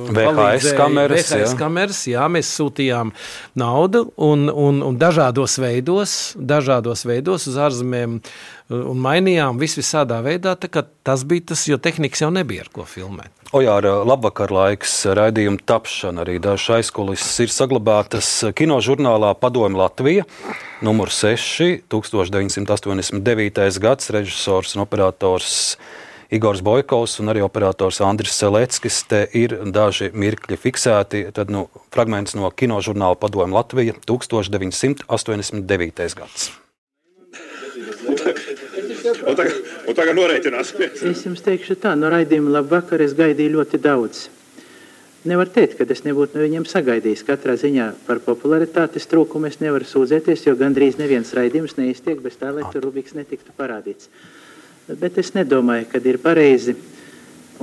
V H S kameras, V H S kameras, jā, mēs sūtījām naudu un, un, un dažādos veidos, dažādos veidos uz ārzemēm un mainījām visu visādā veidā, tā kā tas bija tas, jo tehnikas jau nebija ar ko filmēt. Ojāra, labvakar laiks, raidījuma tapšana, arī dažas aizkulises ir saglabātas kinožurnālā Padomi Latvija, numur seši, tukstovš deviņsimt astoņdesmit devītais gads, režisors un operators Igors Bojkovs un arī operators Andris Seleckis. Te ir daži mirkļi fiksēti, tad nu, fragments no kinožurnāla Padomi Latvija, tukstovš deviņsimt astoņdesmit devītais gads. Un tagad, un tagad noreitinās. Es jums teikšu tā, no raidījuma labvakar es gaidīju ļoti daudz. Nevar teikt, ka es nebūtu no viņiem sagaidījis. Katrā ziņā par popularitātes trūkumu es nevaru sūdzēties, jo gandrīz neviens raidījums neiztiek bez tā, lai tur Rubiks netiktu parādīts. Bet es nedomāju, kad ir pareizi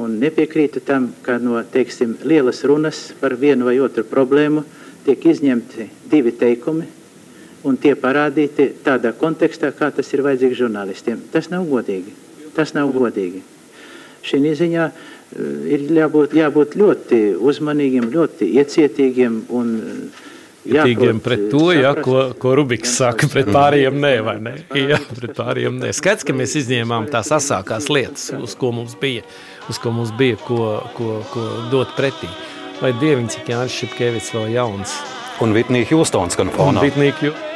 un nepiekrītu tam, ka no, teiksim, lielas runas par vienu vai otru problēmu tiek izņemti divi teikumi, un tie parādīti tādā kontekstā, kā tas ir vajadzīgs žurnālistiem. Tas nav godīgi. Tas nav godīgi. Šī ziņā ir jābūt, jābūt ļoti uzmanīgiem, ļoti iecietīgiem un Ietīgiem pret to, ja, ko, ko Rubiks saka, pret pārējiem nē, vai ne? Jā, pret pārējiem nē. Skaidrs, ka mēs izņēmām tās asākās lietas, uz ko mums bija, uz ko mums bija, ko, ko, ko dot pretī. Lai dieviņ, cik Jānis Šipkevits vēl jauns. Un Whitney Houstons gan fonā. Whitney Houston.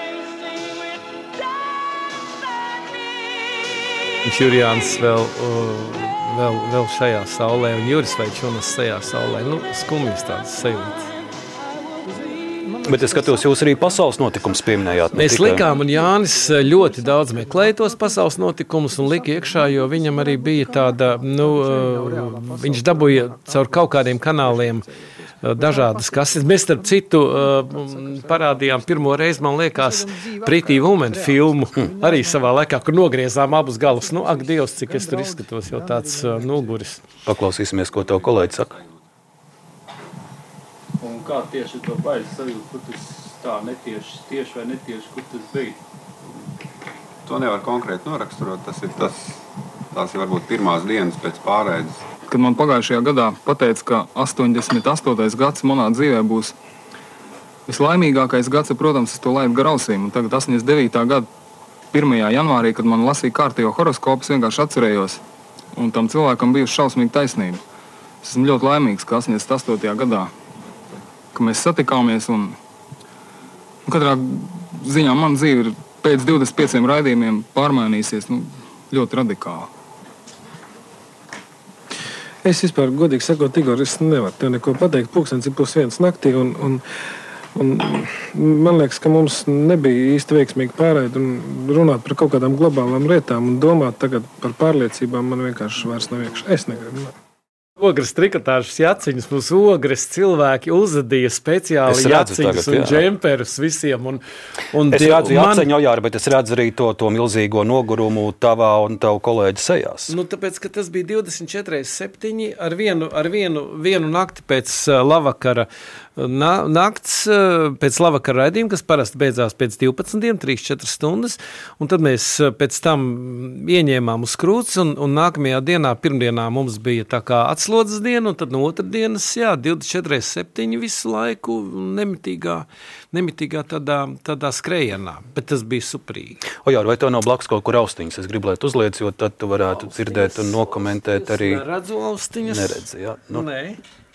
Jurijāns vēl, vēl, vēl šajā saulē, un Juris Veičunas šajā saulē. Nu, skumjas tādas sajūtas. Bet es skatos, jūs arī pasaules notikums pieminējāt. Mēs tikai likām, un Jānis ļoti daudz meklēja tos pasaules notikumus un lika iekšā, jo viņam arī bija tāda, nu, viņš dabūja caur kaut kādiem kanāliem dažādas kases. Mēs, starp citu, parādījām pirmo reizi, man liekas, Pretty Woman filmu, arī savā laikā, kur nogriezām abus galus. Nu, ak, Dievs, cik es tur izskatos, jau tāds noguris. Paklausīsimies, ko tev kolēģi saka. Un kā tieši to bailes sajūt, kur tas tā netieši, tieši vai netieši, kur tas bija? To nevar konkrēti noraksturot, tas ir tas, tās ir varbūt pirmās dienas pēc pārēdes. Kad man pagājušajā gadā pateica, ka astoņdesmit astotais gads manā dzīvē būs vislaimīgākais gads, protams, es to laidu gar ausīm. Un tagad astoņdesmit devītā gada pirmajā janvārī, kad man lasīja kārtējo horoskopu, es vienkārši atcerējos. Un tam cilvēkam bija šausmīga taisnība. Es esmu ļoti laimīgs, ka astoņdesmit astotajā gadā, ka mēs satikāmies un, un katrā ziņā man dzīve ir pēc divdesmit pieciem raidījumiem pārmainīsies nu, ļoti radikāli. Es vispār, godīgi sakot, Igor, es nevaru tev neko pateikt. Pulkstens ir pus viens naktī un, un, un man liekas, ka mums nebija īsti veiksmīgi pārēd un runāt par kaut kādām globālām lietām un domāt tagad par pārliecībām man vienkārši vairs nav iekšā. Es negribu. Ogres trikotāžas jaciņas, mums ogres cilvēki uzadīja speciāli jaciņas un džemperus visiem. Un, un es die, redzu man... jaciņu, Ojāri, bet es redzu arī to, to milzīgo nogurumu tavā un tavu kolēģi sejās. Nu, tāpēc, ka tas bija divdesmit četri septiņi ar vienu, ar vienu, vienu nakti pēc uh, lavakara Na, nakts pēc lavakara raidījuma, kas parasti beidzās pēc divpadsmitiem, trīs četras stundas, un tad mēs pēc tam ieņēmām uz krūts, un, un nākamajā dienā, pirmdienā mums bija tā kā atslodzes diena, un tad no otrdienas, jā, divdesmit četri septiņi visu laiku nemitīgā, nemitīgā tādā, tādā skrejienā, bet tas bija superīgi. Ojār, vai tev nav blakus kaut kur austiņas? Es gribu, lai tu uzliec, jo tad tu varētu austiņas dzirdēt un nokomentēt arī. Es neredzu austiņas. Neredzi, jā. Nu. Nē.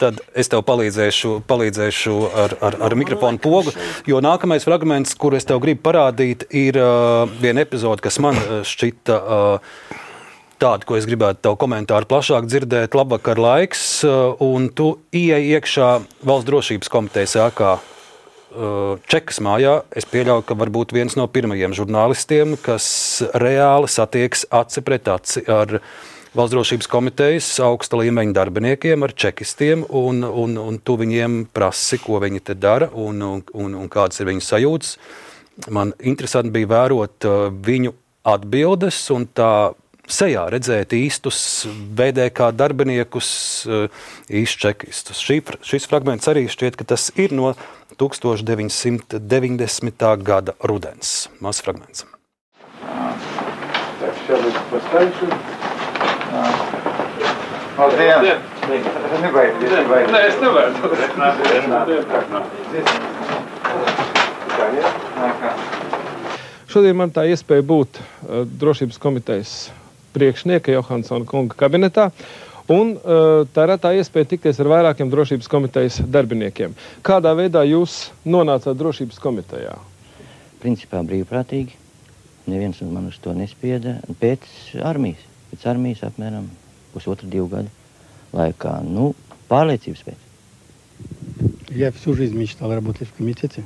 Tad es tev palīdzēšu, palīdzēšu ar, ar, ar mikrofonu pogu, jo nākamais fragments, kur es tev gribu parādīt, ir uh, viena epizode, kas man šķita uh, tāda, ko es gribētu tev komentāru plašāk dzirdēt. Labvakar laiks, uh, un tu ieej iekšā Valsts drošības komitejas ēkā uh, Čekas mājā. Es pieļauju, ka varbūt viens no pirmajiem žurnālistiem, kas reāli satieks aci pret aci ar Valsts drošības komitejas augsta līmeņa darbiniekiem, ar čekistiem, un, un, un tu viņiem prasi, ko viņi te dara un, un, un, un kādas ir viņu sajūtas. Man interesanti bija vērot uh, viņu atbildes un tā sejā redzēt īstus V D K darbiniekus, uh, īstus čekistus. Šī, šis fragments arī šķiet, ka tas ir no deviņdesmit deviņdesmitā gada rudens. Mazs fragments. Labdien! Nebaidieties, nebaidieties. Nē, es nevaru. Šodien man tā iespēja būt uh, drošības komitejas priekšnieka Johansona kunga kabinetā, un uh, tā ir tā iespēja tikties ar vairākiem drošības komitejas darbiniekiem. Kādā veidā jūs nonācāt drošības komitejā? Principā brīvprātīgi. Neviens man uz to nespieda. Pēc armijas. Pēc armijas apmēram pusotru divu gadu laikā. Nu, pārliecības pēc. Я всю жизнь мечтал работать в комитете.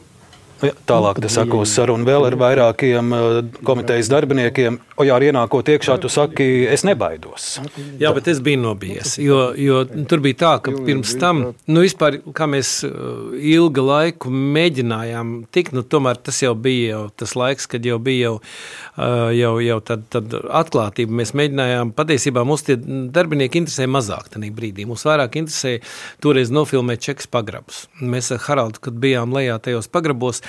Ja, tālāk te sako sarunu vēl ar vairākiem komitejas darbiniekiem. Ojār, ienākot iekšā, tu saki, es nebaidos. Jā, bet es biju nobijies, jo, jo tur bija tā, ka pirms tam, nu vispār, kā mēs ilga laiku mēģinājām tikt, nu tomēr tas jau bija jau tas laiks, kad jau bija jau, jau, jau tad, tad atklātība. Mēs mēģinājām, patiesībā mums tie darbinieki interesē mazāk tanī brīdī. Mums vairāk interesē toreiz nofilmēt Čekas pagrabus. Mēs ar Haraldu, kad bijām lejā tajos pagrabos,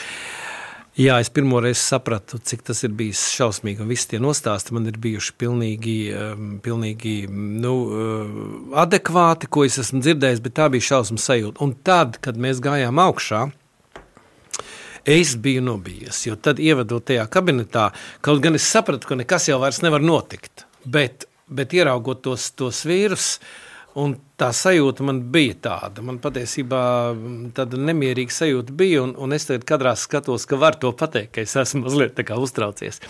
jā, es pirmoreiz sapratu, cik tas ir bijis šausmīgi, un visi tie nostāsti man ir bijuši pilnīgi, pilnīgi nu, adekvāti, ko es esmu dzirdējis, bet tā bija šausmas sajūta. Un tad, kad mēs gājām augšā, es biju nobijies, jo tad ievedot tajā kabinetā, kaut gan es sapratu, ka nekas jau vairs nevar notikt, bet, bet ieraugot tos, tos vīrus, Un tā sajūta man bija tāda. Man patiesībā tāda nemierīga sajūta bija, un, un es tagad kadrā skatos, ka var to pateikt, ka es esmu mazliet tā kā uztraucies.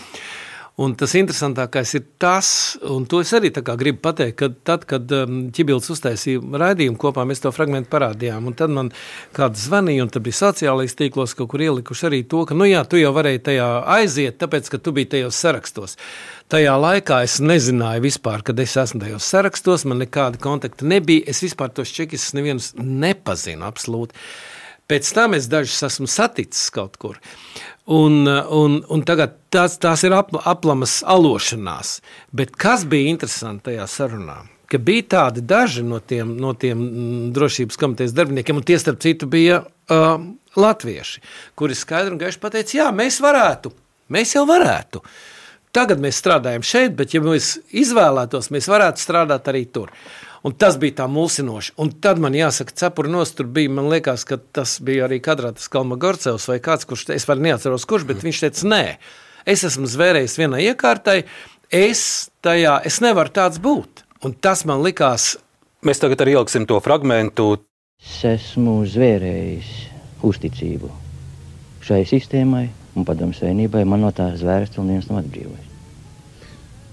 Un tas interesantākais ir tas, un to es arī tā kā gribu pateikt, ka tad, kad Ķibilds uztaisīja raidījumu kopā, mēs to fragmentu parādījām, un tad man kāds zvanīja, un tad bija sociālais tīklos kaut kur ielikuši arī to, ka, nu jā, tu jau varēji tajā aiziet, tāpēc, ka tu biji tajos sarakstos. Tajā laikā es nezināju vispār, kad es esmu tajos sarakstos, man nekāda kontakta nebija, es vispār tos čekistus nevienus nepazinu absolūti. Pēc tam es dažus esmu saticis kaut kur. Un, un, un tagad tās, tās ir apl, aplamas alošanās. Bet kas bija interesanti tajā sarunā? Ka bija tādi daži no tiem, no tiem drošības komitejas darbiniekiem, un tie starp citu bija uh, latvieši, kuri skaidri un gaiši pateica, jā, mēs varētu, mēs jau varētu. Tagad mēs strādājam šeit, bet ja mēs izvēlētos, mēs varētu strādāt arī tur. Un tas bija tā mulsinoši. Un tad man jāsaka, cepuri nost tur bija, man liekas, ka tas bija arī kadrā tas Kalmagorcevs vai kāds, kurš, es var neatceros kurš, bet viņš teica, nē, es esmu zvērējis vienai iekārtai, es tajā, es nevaru tāds būt. Un tas man likās. Mēs tagad arī ieliksim to fragmentu. Es esmu zvērējis uzticību šai sistēmai un padomu savienībai, man no tās zvērsts un viens nav atbrīvojis.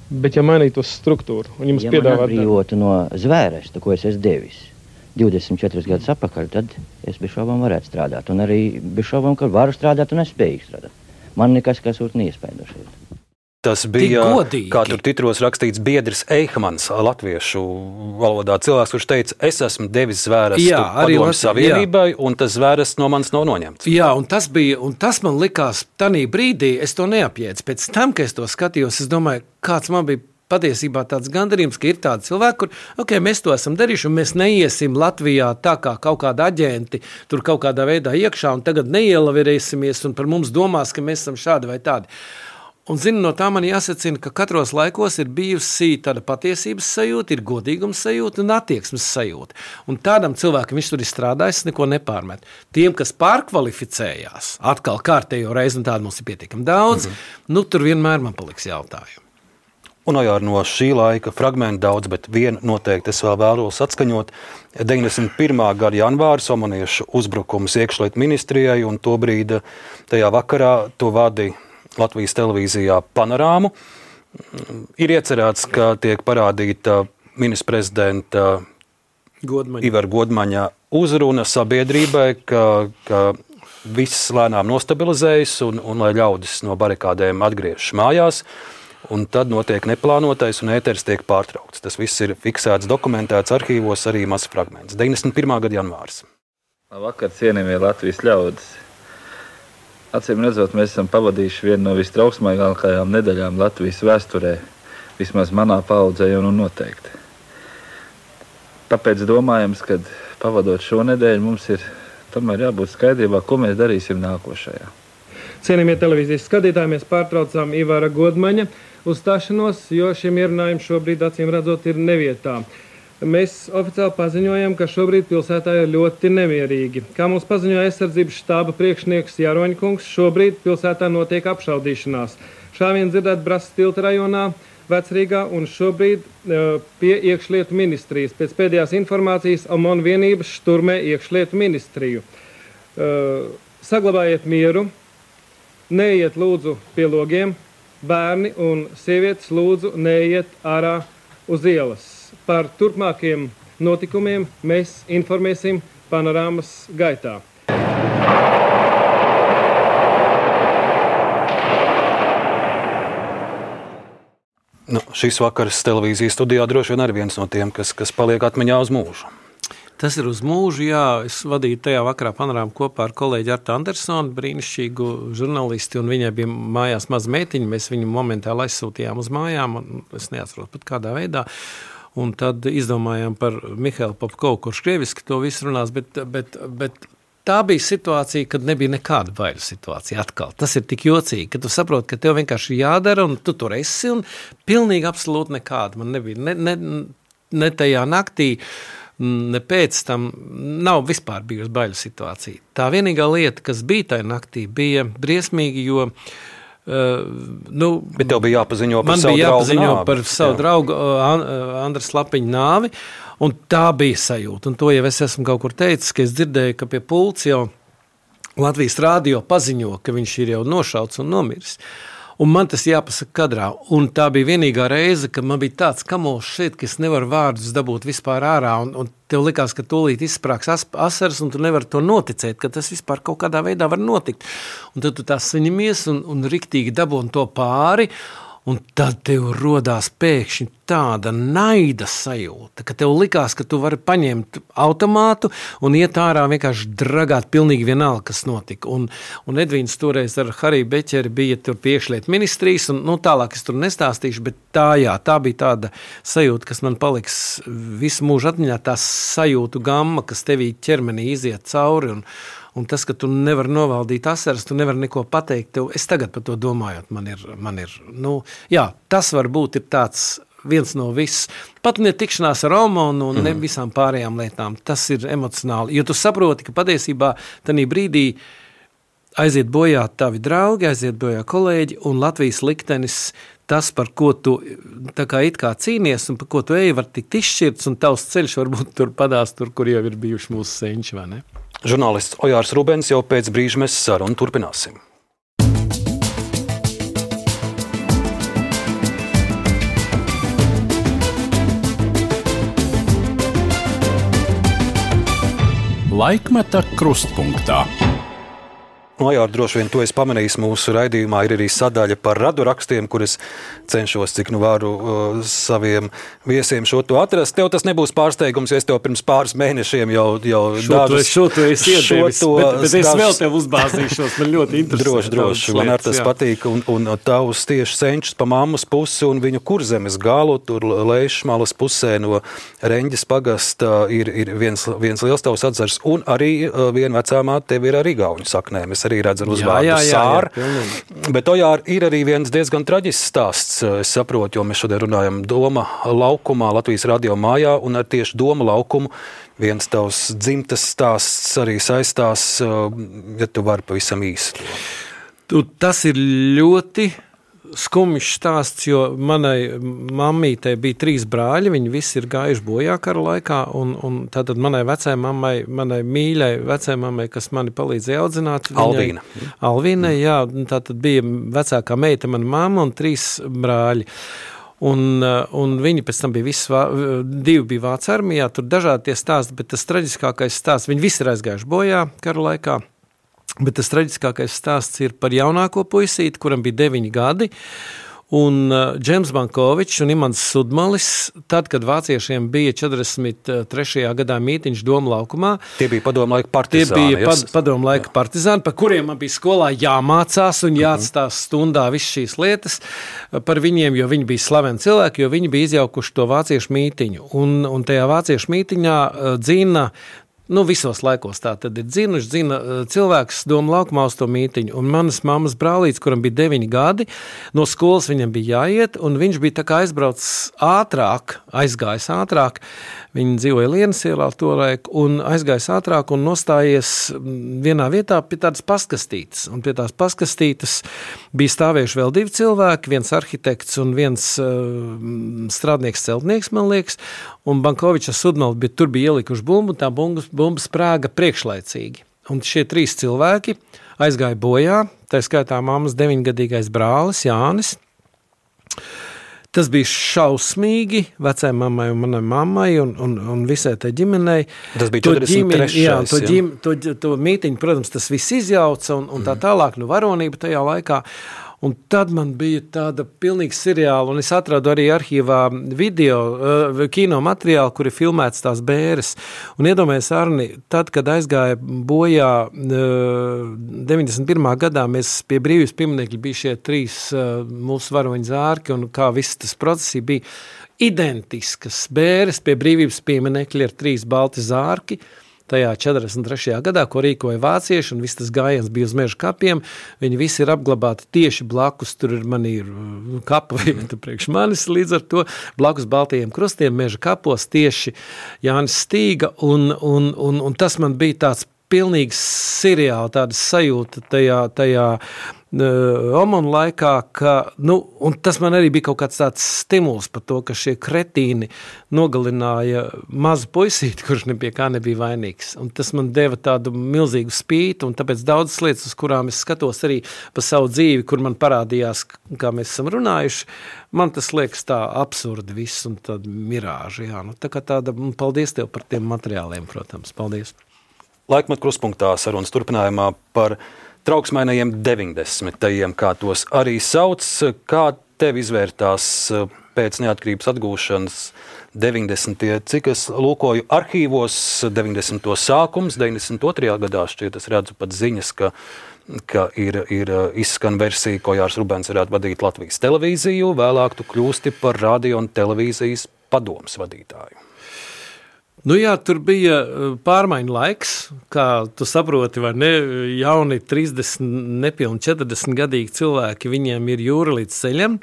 Bet ja mainītos struktūru un jums ja piedāvāt... man atbrīvotu no zvērsta, ko es esmu devis divdesmit četrus gadus apakaļ, tad es bez šaubām varētu strādāt. Un arī bez šaubām, ka varu strādāt un es spējīgi strādāt. Man nekas, kas būt neiespējams. Tas bija, kā tur titros rakstīts, biedrs Eihmans, latviešu valodā cilvēks, kurš teica, es esmu devis zvērstu padomu savienībai, jā. Un tas zvērsts no manis nav noņemts. Jā, un tas bija, un tas man likās tanī brīdī, es to neapjēdzu. Pēc tam, kad es to skatījos, es domāju, kāds man bija patiesībā tāds gandarījums, ka ir tādi cilvēki, kur, ok, mēs to esam darījuši, un mēs neiesim Latvijā tā kā kaut kāda aģenti, tur kaut kādā veidā iekšā, un tagad neielavirēsimies, un par mums domās, ka mēs esam šādi vai tādi. Un, zinu, no tā man jāsacina, ka katros laikos ir bijusi tāda patiesības sajūta, ir godīgums sajūta un attieksmes sajūta. Un tādam cilvēkam viņš tur ir strādājis, neko nepārmet. Tiem, kas pārkvalificējās, atkal kārtējo reizi, un tādu mums ir pietiekami daudz, mm-hmm. nu tur vienmēr man paliks jautājumi. Un jau no šī laika fragmentu daudz, bet vienu noteikti es vēl vēlos atskaņot. deviņdesmit pirmā gada janvāra somaniešu uzbrukums iekšlietu ministrijai, un to brīdi tajā vakarā to vadīja Latvijas televīzijā Panorāmu. Ir iecerēts, ka tiek parādīta ministra prezidenta Godmaņa. Ivara Godmaņa uzruna sabiedrībai, ka, ka viss lēnām nostabilizējas un, un lai ļaudis no barikādēm atgriežas mājās. Un tad notiek neplānotais un ēteris tiek pārtraukts. Tas viss ir fiksēts, dokumentēts arhīvos, arī mazs fragments. deviņdesmit pirmā gada janvārs. Vakar cienījamie Latvijas ļaudis. Acīm redzot, mēs esam pavadījuši vienu no vistrauksmīgākajām nedēļām Latvijas vēsturē, vismaz manā paudzē un noteikti. Tāpēc domājams, ka pavadot šo nedēļu mums ir tomēr jābūt skaidrībā, ko mēs darīsim nākošajā. Cienījamie televīzijas skatītāji, mēs pārtraucām Ivara Godmaņa uzstāšanos, jo šiem ierunājumiem šobrīd acīm redzot ir nevietā. Mēs oficiāli paziņojam, ka šobrīd pilsētā ir ļoti nemierīgi. Kā mums paziņoja aizsardzības štāba priekšnieks Jāroņkungs, šobrīd pilsētā notiek apšaudīšanās. Šāviens dzirdēt Brasas tilta rajonā, Vecrīgā un šobrīd uh, pie iekšlietu ministrijas. Pēc pēdējās informācijas OMON vienības šturmē iekšlietu ministriju. Uh, saglabājiet mieru, neiet lūdzu pie logiem, bērni un sievietes lūdzu neiet ārā uz ielas. Par turpmākiem notikumiem mēs informēsim Panorāmas gaitā. Nu, šis vakars televīzijas studijā droši vien arī viens no tiem, kas, kas paliek atmiņā uz mūžu. Tas ir uz mūžu, jā. Es vadīju tajā vakarā Panorāmu kopā ar kolēģi Artu Andersonu, brīnišķīgu žurnālisti, un viņai bija mājās maz meitiņa. Mēs viņu momentāli aizsūtījām uz mājām, un es neatceros pat kādā veidā. Un tad izdomājām par Mihailu Popkovu, kurš krieviski to visu runās, bet, bet, bet tā bija situācija, kad nebija nekāda baiļu situācija atkal. Tas ir tik jocīgi, ka tu saproti, ka tev vienkārši jādara, un tu tur esi, un pilnīgi absolūti nekāda. Man nebija ne, ne, ne tajā naktī, ne pēc tam nav vispār bijusi baiļu situācija. Tā vienīgā lieta, kas bija tajā naktī, bija briesmīgi, jo Uh, nu, Bet tev bija jāpaziņo par man savu bija draugu jāpaziņo nāvi. par savu Jā. draugu uh, Andras Lapiņa nāvi, un tā bija sajūta. Un to jau es esmu kaut kur teicis, ka es dzirdēju, ka pie pults jau Latvijas rādio paziņo, ka viņš ir jau nošauts un nomiris. Un man tas jāpasaka kadrā. Un tā bija vienīgā reize, kad man bija tāds kamols šeit, ka es nevaru vārdus dabūt vispār ārā. Un, un tev likās, ka tūlīt izsprāks as, asaras, un tu nevari to noticēt, ka tas vispār kaut kādā veidā var notikt. Un tad tu tā saņemies un, un riktīgi dabūni to pāri. Un tad tev rodās pēkšņi tāda naida sajūta, ka tev likās, ka tu vari paņemt automātu un iet ārā vienkārši dragāt pilnīgi vienalga, kas notika. Un, un Edvīns toreiz ar Hariju Beķeri bija tur piekšļiet ministrijas, un nu, tālāk es tur nestāstīšu, bet tā, jā, tā bija tāda sajūta, kas man paliks visu mūžu atmiņā, tā sajūtu gamma, kas tevī ķermenī iziet cauri, un Un tas, ka tu nevari novaldīt asaras, tu nevari neko pateikt. Tev, es tagad par to domājot, man ir, man ir nu, jā, tas varbūt ir tāds viens no viss. Pat ne tikšanās ar Romanu un mm. ne visām pārējām lietām. Tas ir emocionāli. Jo tu saproti, ka patiesībā tanī brīdī aiziet bojā tavi draugi, aiziet bojā kolēģi, un Latvijas liktenis, tas, par ko tu tā kā it kā cīnies un par ko tu ej, var tikt izšķirts, un tavs ceļš varbūt tur padās tur, kur jau ir bijuši mūsu senči, vai ne? Žurnālists Ojārs Rubens jau pēc brīža mēs sarunu turpināsim. Laikmeta krustpunktā. Ojār, droši vien to es pamanīju mūsu raidījumā, ir arī sadaļa par radurakstiem, kur es cenšos, cik nu varu uh, saviem viesiem šo to atrast. Tev tas nebūs pārsteigums, jo es tev pirms pāris mēnešiem jau, jau šo dažus... Šo to es iedevis, bet, bet es dažus, vēl tev uzbāzīšos, man ļoti interesē. Droši, droši, man ar tas jā. patīk, un, un tavus tieši senčus pa mammas pusi un viņu kurzemes galu, tur Leišmalas pusē no Reņģes pagasta ir, ir viens, viens liels tavs atzars, un arī uh, viena vecāmā tev ir arī gauņu saknēm. Es arī redzu ar uzvārdu Sāra. Bet Ojār ir arī viens diezgan traģisks stāsts, es saprotu, jo mēs šodien runājam Doma laukumā, Latvijas radio mājā, un ar tieši Doma laukumu viens tavs dzimtas stāsts arī saistās, ja tu vari pavisam īsi. Tu, tas ir ļoti skumjš stāsts, jo manai mammītei bija trīs brāļi, viņi visi ir gājuši bojā kara laikā, un, un tātad manai vecai mammai, manai mīļai vecai mammai, kas mani palīdzēja audzināt. Alvīna. Viņai, Alvīna, jā, tātad bija vecākā meita, mana mamma un trīs brāļi. Un, un viņi pēc tam bija visi, divi bija Vācu armijā, tur dažādi tie stāsti, bet tas traģiskākais stāsts, viņi visi ir aizgājuši bojā kara laikā. Bet tas traģiskākais stāsts ir par jaunāko puisīti, kuram bija deviņi gadi, un uh, Džems Bankovičs un Imants Sudmalis, tad, kad vāciešiem bija četrdesmit trešajā gadā mītiņš Doma laukumā. Tie bija padomu laika partizāni. Tie bija pad, padomu laika partizāni, par kuriem man bija skolā jāmācās un jāatstās stundā visas šīs lietas par viņiem, jo viņi bija slaveni cilvēki, jo viņi bija izjaukuši to vāciešu mītiņu. Un, un tajā vāciešu mītiņā uh, dzina Nu, visos laikos tā tad ir dzinuši, dzina cilvēks Doma laukumā uz to mītiņu. Un manas mammas brālīts, kuram bija deviņi gadi, no skolas viņam bija jāiet, un viņš bija tā kā aizbraucis ātrāk, aizgājis ātrāk. Viņi dzīvoja Lienas ielā tolaik, un aizgājis ātrāk un nostājies vienā vietā pie tādas paskastītes. Un pie tās paskastītes bija stāvējuši vēl divi cilvēki, viens arhitekts un viens uh, strādnieks celtnieks, man liekas, un Bankovičs ar Sudmali, bet tur bija ielikuši bumbu, tā bumba, bumba sprāga priekšlaicīgi. Un šie trīs cilvēki aizgāja bojā, tā skaitā mammas deviņgadīgais brālis Jānis. Tas bija šausmīgi vecai mammai un manai mammai un, un, un visai tai ģimenei. Tas bija četrdesmit trešais. Jā, to, ģim, to, to mītiņu, protams, tas viss izjauca un, un tā tālāk, nu varonība tajā laikā. Un tad man bija tāda pilnīga seriāla, un es atradu arī arhīvā video, uh, kino materiālu, kur ir filmēts tās bēres. Un iedomājies, Arni, tad, kad aizgāja bojā uh, deviņdesmit pirmā gadā, mēs pie brīvības pieminekļa bija šie trīs uh, mūsu varoņu zārki, un kā viss tas procesi bija identiskas bēres pie brīvības pieminekļa ir trīs balti zārki, tajā četrdesmit trešajā gadā, ko rīkoja vācieši, un viss tas gājiens bija uz meža kapiem. Viņi visi ir apglabāti tieši blakus, tur ir man ir kapa vieta priekš manis, līdz ar to blakus baltajiem krustiem meža kapos tieši Jānis Stīga, un, un, un, un tas man bija tāds pilnīgi seriāli tāda sajūta tajā, tajā uh, omonu laikā, ka, nu, un tas man arī bija kaut kāds tāds stimuls par to, ka šie kretīni nogalināja mazu puisīti, kurš ne pie kā nebija vainīgs. Un tas man deva tādu milzīgu spītu, un tāpēc daudzas lietas, uz kurām es skatos arī pa savu dzīvi, kur man parādījās, kā mēs esam runājuši, man tas liekas tā absurdi viss un tāda mirāža. Jā. Nu, tā kā tāda, paldies tev par tiem materiāliem, protams. Paldies. Laikmat kruspunktā sarunas turpinājumā par trauksmainajiem deviņdesmitajiem, kā tos arī sauc. Kā tev izvērtās pēc neatkarības atgūšanas deviņdesmitie, cik es lūkoju arhīvos, deviņdesmito sākums, deviņdesmit otrajā gadā šķiet, es redzu pat ziņas, ka, ka ir, ir izskan versija, ko Jārs Rubens varētu vadīt Latvijas televīziju, vēlāk tu kļūsti par radio un televīzijas padomes vadītāju. Nu jā, tur bija pārmaiņu laiks, kā tu saproti, vai ne, jauni trīsdesmit, nepilni četrdesmit gadīgi cilvēki, viņiem ir jūra līdz ceļam.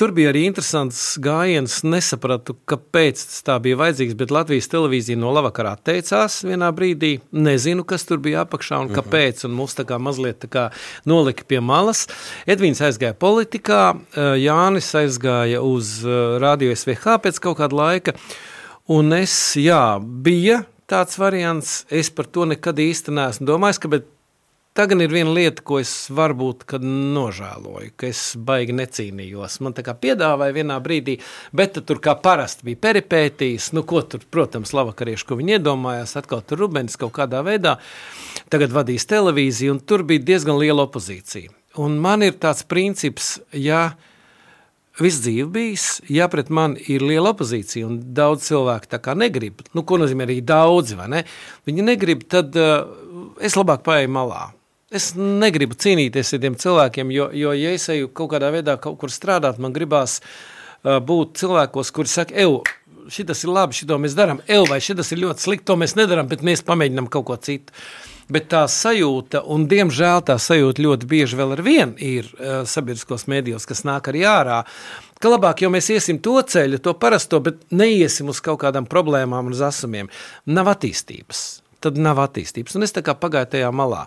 Tur bija arī interesants gājiens, nesapratu, kāpēc tas tā bija vajadzīgs, bet Latvijas televīzija no lavakarā atteicās vienā brīdī, nezinu, kas tur bija apakšā un kāpēc, un mūs tā kā mazliet tā kā nolika pie malas. Edvīns aizgāja politikā, Jānis aizgāja uz Radio S V H pēc kaut kāda laika. Un es, jā, bija tāds variants, es par to nekad īsti neesmu domājis, ka, bet tagad ir viena lieta, ko es varbūt, kad nožēloju, ka es baigi necīnījos. Man tā kā piedāvāja vienā brīdī, bet tur kā parasti bija peripētīs, nu ko tur, protams, lavakarieši, ko viņi iedomājās, atkal tur Rubens kaut kādā veidā, tagad vadīs televīziju, un tur bija diezgan liela opozīcija. Un man ir tāds princips, ja viss dzīve bijis, ja pret mani ir liela opozīcija un daudz cilvēku tā kā negrib, nu, ko nozīmē arī daudzi, vai ne? Viņi negrib, tad uh, es labāk paeju malā. Es negribu cīnīties ar tiem cilvēkiem, jo, jo ja es eju kaut kādā veidā kaut kur strādāt, man gribās uh, būt cilvēkos, kuri saka, ev, šitas ir labi, šito mēs darām, ev, vai šitas ir ļoti slikti, to mēs nedaram, bet mēs pamēģinām kaut ko citu. Bet tā sajūta, un diemžēl tā sajūta ļoti bieži vēl ar vienu ir uh, sabiedriskos mēdījos, kas nāk arī ārā, ka labāk jau mēs iesim to ceļu, to parasto, bet neiesim uz kaut kādām problēmām un uz asumiem. Nav attīstības. Tad nav attīstības. Un es tā kā pagāju tajā malā.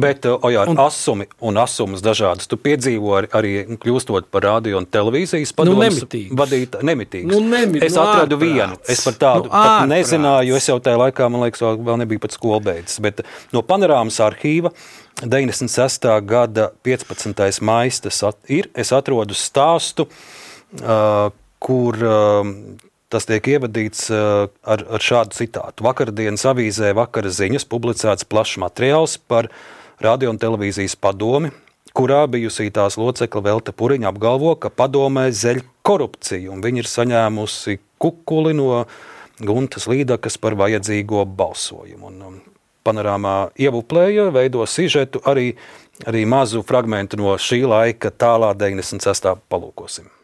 Bet, Ojār, un, asumi un asumas dažādas. Tu piedzīvo arī, arī kļūstot par radio un televīzijas padomus nu, vadīt nemitīgs. Nu, nemit, es nu, atradu ārprāts. vienu. Es par tādu nu, pat ārprāts. nezināju, jo es jau tajā laikā, man liekas, vēl, vēl nebija pat skolbeidzis. Bet no Panorāmas arhīva deviņdesmit sestā gada piecpadsmitais maijs tas at, ir. Es atrodu stāstu, uh, kur... Uh, Tas tiek ievadīts uh, ar, ar šādu citātu. Vakardienas avīzē Vakara ziņas publicēts plašs materiāls par radio un televīzijas padomi, kurā bijusī tās locekla Velta Puriņa apgalvo, ka padomē zeļ korupciju, un viņi ir saņēmusi kukuli no Guntas Līdakas par vajadzīgo balsojumu. Un, um, Panorāmā ievuplēja, veido sižetu, arī, arī mazu fragmentu no šī laika tālā deviņdesmit sestā palūkosim.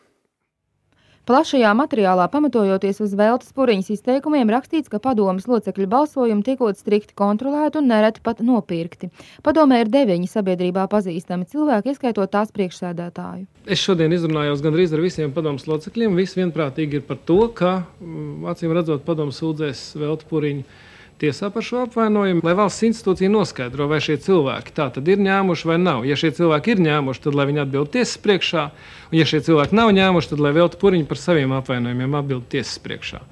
Plašajā materiālā pamatojoties uz Veltas Puriņas izteikumiem rakstīts, ka padomes locekļu balsojumi tiekot strikti kontrolēti un nereti pat nopirkti. Padomē ir deviņi sabiedrībā pazīstami cilvēki, ieskaitot tās priekšsēdētāju. Es šodien izrunājos gandrīz ar visiem padomes locekļiem. Visi vienprātīgi ir par to, ka, acīm redzot, padomes sūdzēs Veltu Puriņu tiesā par šo apvainojumu, lai valsts institūcija noskaidro, vai šie cilvēki tā tad ir ņēmuši vai nav. Ja šie cilvēki ir ņēmuši, tad lai viņi atbild tiesas priekšā, un ja šie cilvēki nav ņēmuši, tad lai Velta Puriņa par saviem apvainojumiem atbild tiesas priekšā.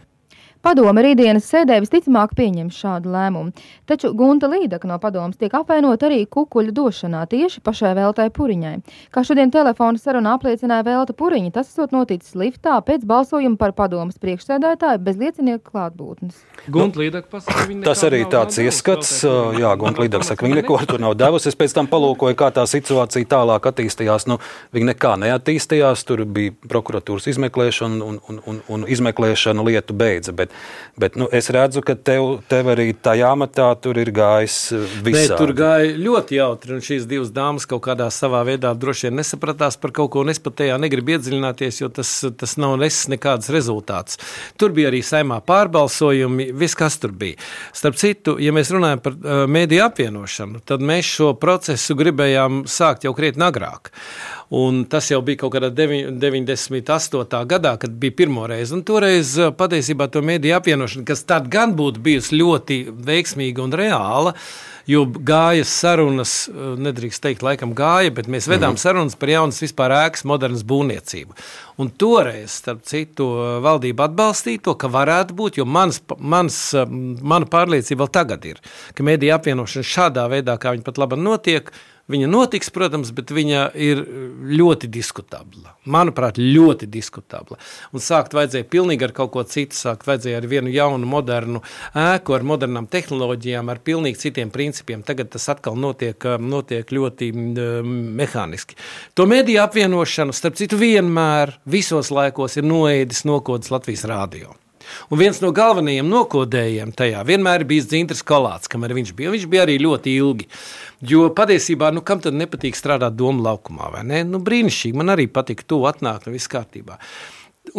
Padome rītdienas sēdē visticamāk pieņems šādu lēmumu, taču Gunta Līdaka no padomes tiek apvainot arī kukuļu došanā tieši pašai Veltai Puriņai. Kā šodien telefona sarunā apliecināja Velta Puriņa, tas esot noticis liftā pēc balsojuma par padomes priekšsēdētāju bez liecinieku klātbūtnes. Gunta Līdaka pasaka, viņa Tas arī tāds ieskats, jā, Gunta Līdaka saka, viņa neko tur nav devusi. Es pēc tam palūkoju, kā tā situācija tālāk attīstījās. Nu, viņa nekā neattīstījās, tur bija prokuratūras izmeklēšana un, un, un, un izmeklēšana lietu beidza, bet Bet nu, es redzu, ka tev, tev arī tajā matā tur ir gājis visādi. Nē, tur gāja ļoti jautri, un šīs divas dāmas kaut kādā savā veidā droši vien nesapratās par kaut ko, un es pat tajā negribu iedziļināties, jo tas, tas nav nesis nekāds rezultāts. Tur bija arī saimā pārbalsojumi, viss kas tur bija. Starp citu, ja mēs runājam par uh, mēdīju apvienošanu, tad mēs šo procesu gribējām sākt jau krietni agrāk. Un tas jau bija kaut kādā deviņdesmit astotā gadā, kad bija pirmo reizi. Un toreiz patiesībā to mediju apvienošana, kas tad gan būtu bijusi ļoti veiksmīga un reāla, jo gāja sarunas, nedrīkst teikt, laikam gāja, bet mēs vedām mm-hmm. sarunas par jaunas vispār ēkas modernas būvniecību. Un toreiz, starp citu, valdība atbalstīja to, ka varētu būt, jo mans, mans, mana pārliecība vēl tagad ir, ka mediju apvienošana šādā veidā, kā viņa pat labi notiek, viņa notiks, protams, bet viņa ir ļoti diskutabla. Manuprāt, ļoti diskutabla. Un sākt vajadzēja pilnīgi ar kaut ko citu, sākt vajadzēja ar vienu jaunu, modernu ēku, ar modernām tehnoloģijām, ar pilnīgi citiem principiem. Tagad tas atkal notiek, notiek ļoti mehāniski. To mediju apvienošanu, starp citu, vienmēr visos laikos ir noēdis nokodas Latvijas rādio. Un viens no galvenajiem nokodējiem tajā vienmēr ir bijis Dzintris Kolāts, kamēr viņš bija. Viņš bija arī ļoti ilgi. Jo patiesībā, nu, kam tad nepatīk strādāt Doma laukumā, vai ne? Nu, brīnišķīgi, man arī patika to atnākt un viss kārtībā.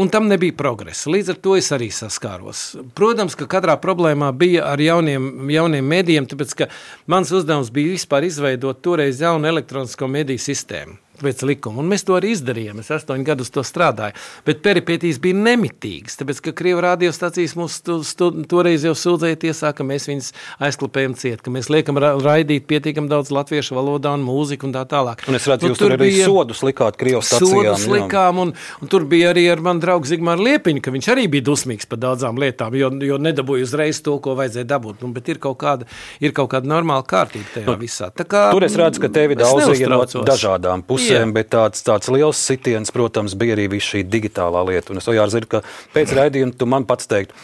Un tam nebija progresa. Līdz ar to es arī saskāros. Protams, ka katrā problēmā bija ar jauniem, jauniem medijiem, tāpēc, ka mans uzdevums bija vispār izveidot toreiz jaunu elektronisko mediju sistēmu pēc likuma. Un mēs to arī izdarījām. Es astoņi gadus to strādāju. Bet peripētīs bija nemitīgas, tāpēc, ka Krievu radiostacijas mūs to, to, toreiz jau sūdzēja tiesā, ka mēs viņus aizklapējam ciet, ka mēs liekam ra- raidīt pietiekam daudz latviešu valodā un mūziku un tā tālāk. Un es redzu, nu, jūs tur arī sodus likāt Krievu stacijām. Sodus likām, un, un tur bija arī ar manu draugu Zigmāru Liepiņu, ka viņš arī bija dusmīgs par daudzām lietām, jo, jo nedabūja uzreiz to, ko vajadzēja dabūt. Nu, bet ir kaut kāda, ir kaut kāda normāla kārtība tajā nu, visā. Tā kā, tur es redzu, ka tevi daudzīja no dažādām pusēm, Jā. bet tāds, tāds liels sitiens, protams, bija arī viss šī digitālā lieta. Un es jau zinu, ka pēc raidījuma tu man pats teiktu,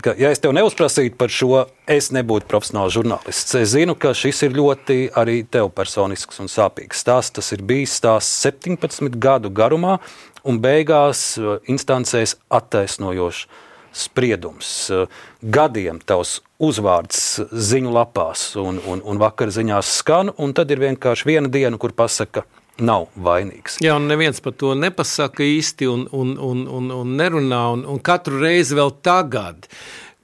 ka, ja es tev neuzprasītu par šo, es nebūtu profesionāls žurnālists. Es zinu, ka šis ir ļoti arī tev personisks un sāpīgs stāsts. Tas ir bijis stāsts septiņpadsmit gadu garumā un beigās instancēs attaisnojošs spriedums. Gadiem tavs uzvārds ziņu lapās un, un, un vakar ziņās skan, un tad ir vienkārši viena diena, kur pasaka, nav vainīgs. Jā, un neviens par to nepasaka īsti un, un, un, un, un nerunā, un, un katru reizi vēl tagad,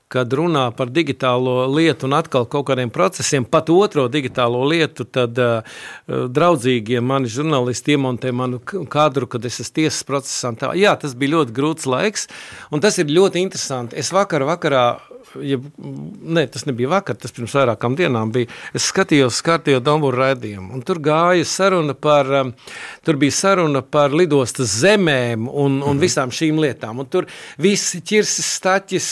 kad runā par digitālo lietu un atkal kaut kādiem procesiem, pat otro digitālo lietu, tad uh, draudzīgie mani žurnālisti iemontē manu kadru, kad es esmu tiesas procesā. Tā. Jā, tas bija ļoti grūts laiks, un tas ir ļoti interesanti. Es vakar vakarā, ja, ne, tas nebija vakar, tas pirms vairākām dienām bija, es skatījos kārtējo Domburu raidījumu, un tur gāja saruna par, um, tur bija saruna par lidostas zemēm un, un visām šīm lietām, un tur visi Ķirsis, Staķis,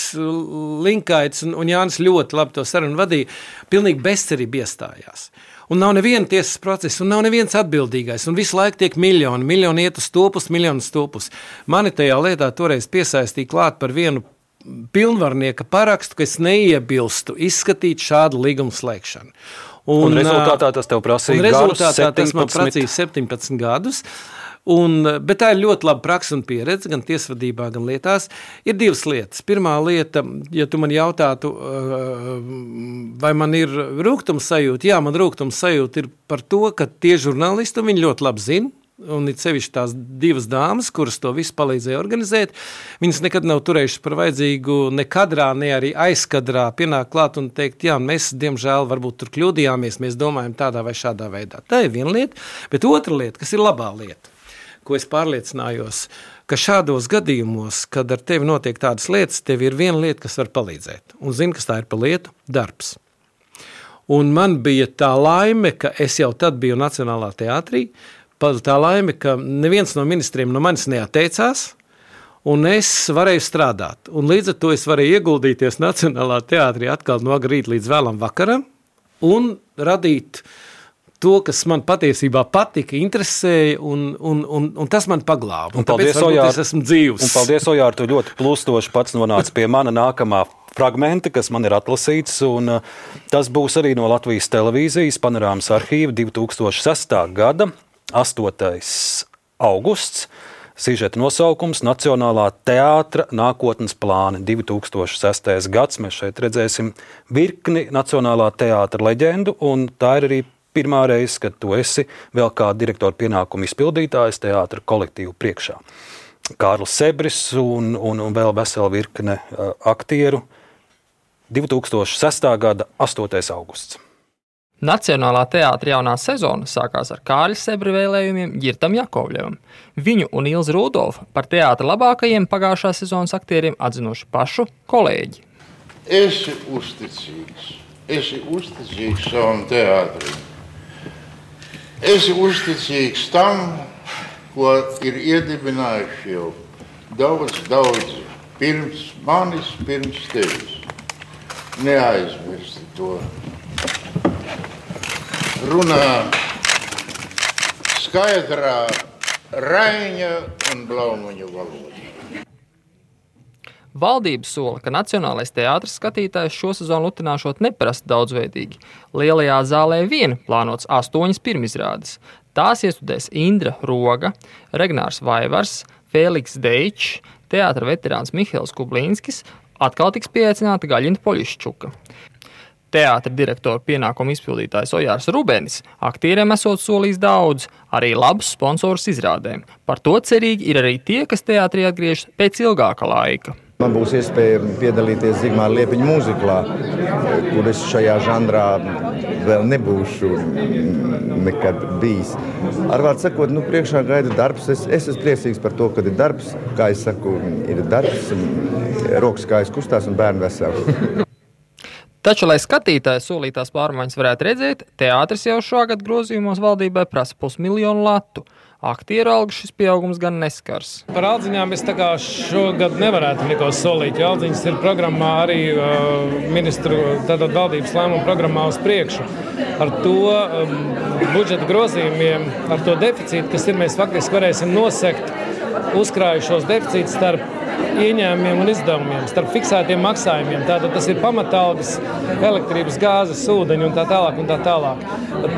Linkaits un, un Jānis ļoti labi to sarunu vadīja, pilnīgi bezcerība iestājās. Un nav neviena tiesas procesa, un nav neviens atbildīgais, un visu laiku tiek miljoni, miljoni iet uz topus, miljoni uz topus. Mani tajā lietā toreiz piesaistīja klāt par vienu pilnvarnieka parakstu, ka es neiebilstu izskatīt šādu līgumu slēgšanu. Un, un rezultātā tas tev prasīja un rezultātā garus tas man prasīja septiņpadsmit gadus. Un, bet tā ir ļoti laba praksa un pieredze, gan tiesvadībā, gan lietās. Ir divas lietas. Pirmā lieta, ja tu man jautātu, vai man ir rūgtums sajūta, jā, man rūgtums sajūta ir par to, ka tie žurnālisti, viņi ļoti labi zina, un ir sevišķi tās divas dāmas, kuras to visu palīdzēja organizēt, viņas nekad nav turējušas par vajadzīgu ne kadrā, ne arī aizkadrā pienāk klāt un teikt, jā, mēs, diemžēl, varbūt tur kļūdījāmies, mēs domājam tādā vai šādā veidā. Tā ir viena lieta, bet otra lieta, kas ir labā lieta, ko es pārliecinājos, ka šādos gadījumos, kad ar tevi notiek tādas lietas, tev ir viena lieta, kas var palīdzēt. Un zini, kas tā ir pa lietu? Darbs. Un man bija tā laime, ka es jau tad biju Nacionālā teātrī, tā laime, ka neviens no ministriem no manis neatteicās, un es varēju strādāt. Un līdz ar to es varēju ieguldīties Nacionālā teātrī atkal no agrīt līdz vēlam vakaram un radīt to, kas man patiesībā patika, interesēja, un, un, un, un tas man paglāba. Un, un paldies, Ojār, es esmu dzīvs. Un paldies, Ojār, tu ļoti plustoši pats nonāc pie mana nākamā fragmenta, kas man ir atlasīts, un uh, tas būs arī no Latvijas televīzijas panorāmas arhīva divi tūkstoši sestā gada, astotais augusts, sižeta nosaukums Nacionālā teātra nākotnes plāni divi tūkstoši sestais gads. Mēs šeit redzēsim virkni Nacionālā teātra leģendu, un tā ir arī pirmā reize, kad tu esi vēl kā direktora pienākumu izpildītājs teātra kolektīvu priekšā. Kārlis Sebris un, un, un vēl vesela virkne aktieru. divi tūkstoši sestā gada astotais augusts. Nacionālā teātra jaunā sezona sākās ar Kārļa Sebra vēlējumiem Ģirtam Jakovļevam. Viņu un Ilzi Rudolfu par teātra labākajiem pagājušā sezonas aktieriem atzinuši pašu kolēģi. Esi uzticīgs, esi uzticīgs savam teātrim. Esi uzticīgs tam, ko ir iedibinājuši jau daudz, daudz pirms manis, pirms tevis. Neaizmirsti to. Runā skaidrā Raiņa un Blaumaņa valoda. Valdība sola, ka Nacionālais teātris skatītājs šo sezonu lutināšot neparasti daudzveidīgi. Lielajā zālē vien plānots astoņas pirmizrādes. Tās iestudēs Indra Roga, Regnārs Vaivars, Fēliks Deičs, teātra veterāns Mihails Kublīnskis, atkal tiks pieaicināta Gaļinta Poļiščuka. Teātra direktora pienākumu izpildītājs Ojārs Rubenis aktieriem esot solījis daudz, arī labus sponsorus izrādēm. Par to cerīgi ir arī tie, kas teātrī atgriežas pēc ilgāka laika. Man būs iespēja piedalīties Zigmāra Liepiņa mūziklā, kur es šajā žanrā vēl nebūšu nekad bijis. Ar vārdu sakot, nu, priekšā gaida darbs. Es, es esmu priecīgs par to, kad ir darbs. Kā es saku, ir darbs, rokas kājas kustās un bērni veseli. Taču, lai skatītāji solītās pārmaiņas varētu redzēt, teātris jau šogad grozījumos valdībai prasa pusmiljonu latu. Aktieru algu šis pieaugums gan neskars. Par aldziņām es tā kā šogad nevarētu neko solīt, jo aldziņas ir programmā arī uh, ministru, tātad valdības lēmuma programmā uz priekšu. Ar to um, budžeta grozījumiem, ar to deficītu, kas ir, mēs faktiski varēsim nosekt uzkrājušos deficītus starp ieņēmumiem un izdevumiem, starp fiksētiem maksājumiem. Tātad tas ir pamatalgas, elektrības, gāzes, ūdeņi un tā tālāk un tā tālāk.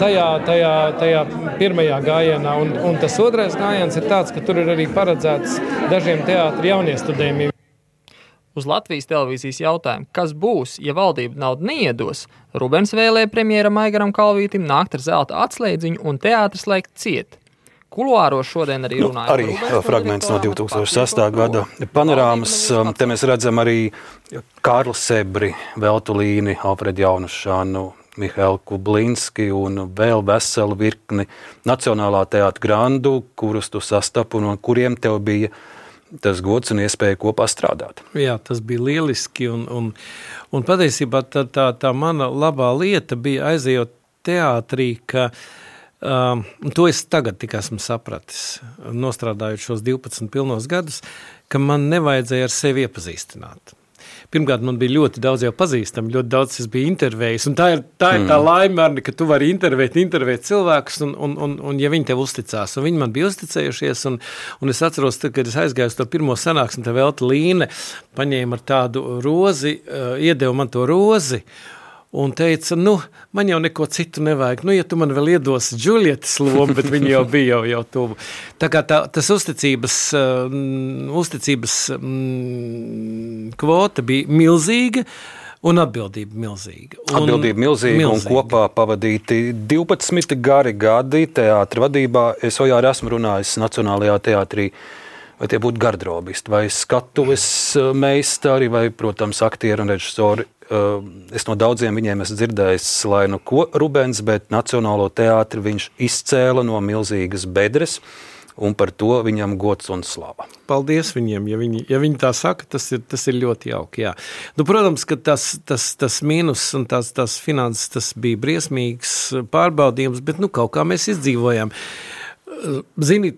Tajā, tajā, tajā pirmajā gājienā. Un, un tas otrais gājiens ir tāds, ka tur ir arī paredzēts dažiem teātri jauniestudējumiem. Uz Latvijas televīzijas jautājumu, kas būs, ja valdība naudu neiedos, Rubens vēlēja premjeram Aigaram Kalvītim nākt ar zelta atslēdziņu un teātris slēgt ciet. Kuluāros šodien arī runāja. Nu, arī fragments no divi tūkstoši sestā gada panorāmas. Te mēs redzam arī Kārli Sebri, Veltulīni, Alfredu Jaunušanu, Mihailu Kublīnski un vēl veselu virkni Nacionālā teātra grandu, kurus tu sastapu un kuriem tev bija tas gods un iespēja kopā strādāt. Jā, tas bija lieliski un, un, un patiesībā tā, tā, tā mana labā lieta bija aizejot teātrī, ka Um, to es tagad tik esmu sapratis, nostrādājot šos divpadsmit pilnos gadus, ka man nevajadzēja ar sevi iepazīstināt. Pirmkārt, man bija ļoti daudz jau pazīstami, ļoti daudz es biju intervējis, un tā ir tā, ir tā laime, ka tu vari intervēt, intervēt cilvēkus, un, un, un, un ja viņi tev uzticās, un viņi man bija uzticējušies, un, un es atceros, tad, kad es aizgāju uz to pirmo sanāksmi, tā Veltulīne paņēma ar tādu rozi, uh, iedeva man to rozi, un teica, nu, man jau neko citu nevajag. Nu, ja tu man vēl iedosi Džulietas lomu, bet viņa jau bija jau, jau tuvu. Tā kā tā, tas uzticības, uh, uzticības um, kvota bija milzīga un atbildība milzīga. Un, atbildība milzīga, milzīga un kopā pavadīti divpadsmit gari gadi teātra vadībā. Es jau esmu runājis Nacionālajā teātrī, vai tie būtu gardrobisti, vai skatuves meistari, vai, protams, aktieri un režisori. Es no daudziem viņiem esmu dzirdējis, lai nu ko Rubens, bet Nacionālo teātri viņš izcēla no milzīgas bedres, un par to viņam gods un slava. Paldies viņiem, ja viņi, ja viņi tā saka, tas ir, tas ir ļoti jauki, jā. Nu, protams, ka tas, tas, tas mīnus un tās, tās finanses, tas bija briesmīgs pārbaudījums, bet nu kaut kā mēs izdzīvojām. Zini,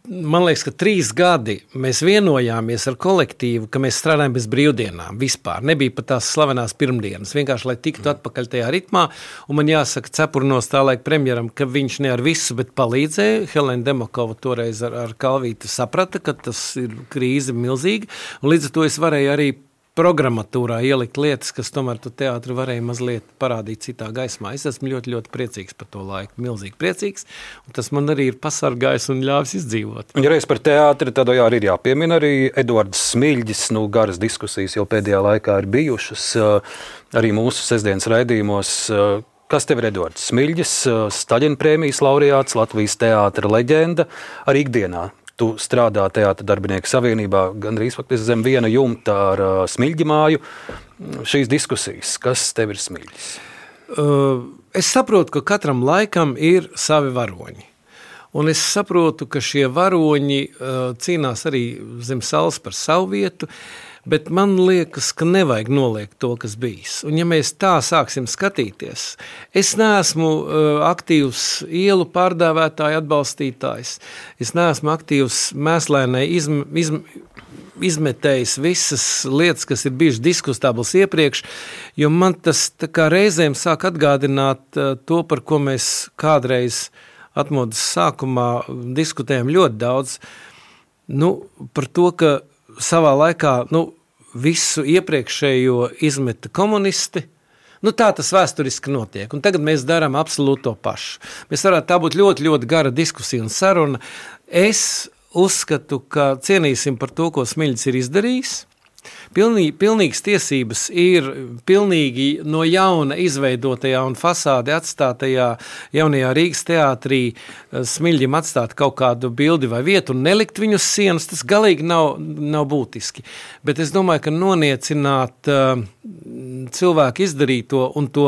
man liekas, ka trīs gadi mēs vienojāmies ar kolektīvu, ka mēs strādājam bez brīvdienām vispār. Nebija pat tās slavenās pirmdienas, vienkārši, lai tiktu atpakaļ tajā ritmā. Un man jāsaka cepurnos tā laika premjeram, ka viņš ne ar visu, bet palīdzēja. Helēna Demakova toreiz ar, ar Kalvīti saprata, ka tas ir krīze milzīga. Un līdz ar to es varēju arī programmatūrā ielikt lietas, kas tomēr tu teātri varēja mazliet parādīt citā gaismā. Es esmu ļoti, ļoti priecīgs par to laiku, milzīgi priecīgs, un tas man arī ir pasargājis un ļāvis izdzīvot. Un ja reiz par teātri, tad jā, ir jāpiemina arī Eduards Smiļģis, nu garas diskusijas jau pēdējā laikā ir bijušas, arī mūsu sestdienas raidījumos. Kas tev ir Eduards Smiļģis, Staļina prēmijas laureāts, Latvijas teātra leģenda, arī ikdienā? Tu strādā Teātra darbinieku savienībā gandrīz faktiski zem viena jumta ar uh, Smiļģi māju. Šīs diskusijas, kas tev ir Smiļģis? Uh, es saprotu, ka katram laikam ir savi varoņi. Un es saprotu, ka šie varoņi uh, cīnās arī zem saules par savu vietu, bet man liekas, ka nevajag noliegt to, kas bijis. Un ja mēs tā sāksim skatīties, es neesmu uh, aktīvs ielu pārdēvētāju atbalstītājs, es neesmu aktīvs mēslēnai izm, izm, izmetējis visas lietas, kas ir bijušas diskutablas iepriekš, jo man tas tā kā reizēm sāk atgādināt uh, to, par ko mēs kādreiz atmodas sākumā diskutējam ļoti daudz, nu, par to, ka savā laikā nu, visu iepriekšējo izmeta komunisti. Nu, tā tas vēsturiski notiek. Un tagad mēs darām absolūti to pašu. Mēs varētu tā būt ļoti, ļoti gara diskusija un saruna. Es uzskatu, ka cienīsim par to, ko Smiļģis ir izdarījis. Pilnīgi, pilnīgas tiesības ir pilnīgi no jauna izveidotajā un fasādi atstātajā jaunajā Rīgas teātrī Smiļģim atstāt kaut kādu bildi vai vietu un nelikt viņu uz sienas, tas galīgi nav, nav būtiski. Bet es domāju, ka noniecināt uh, cilvēku izdarīto un to,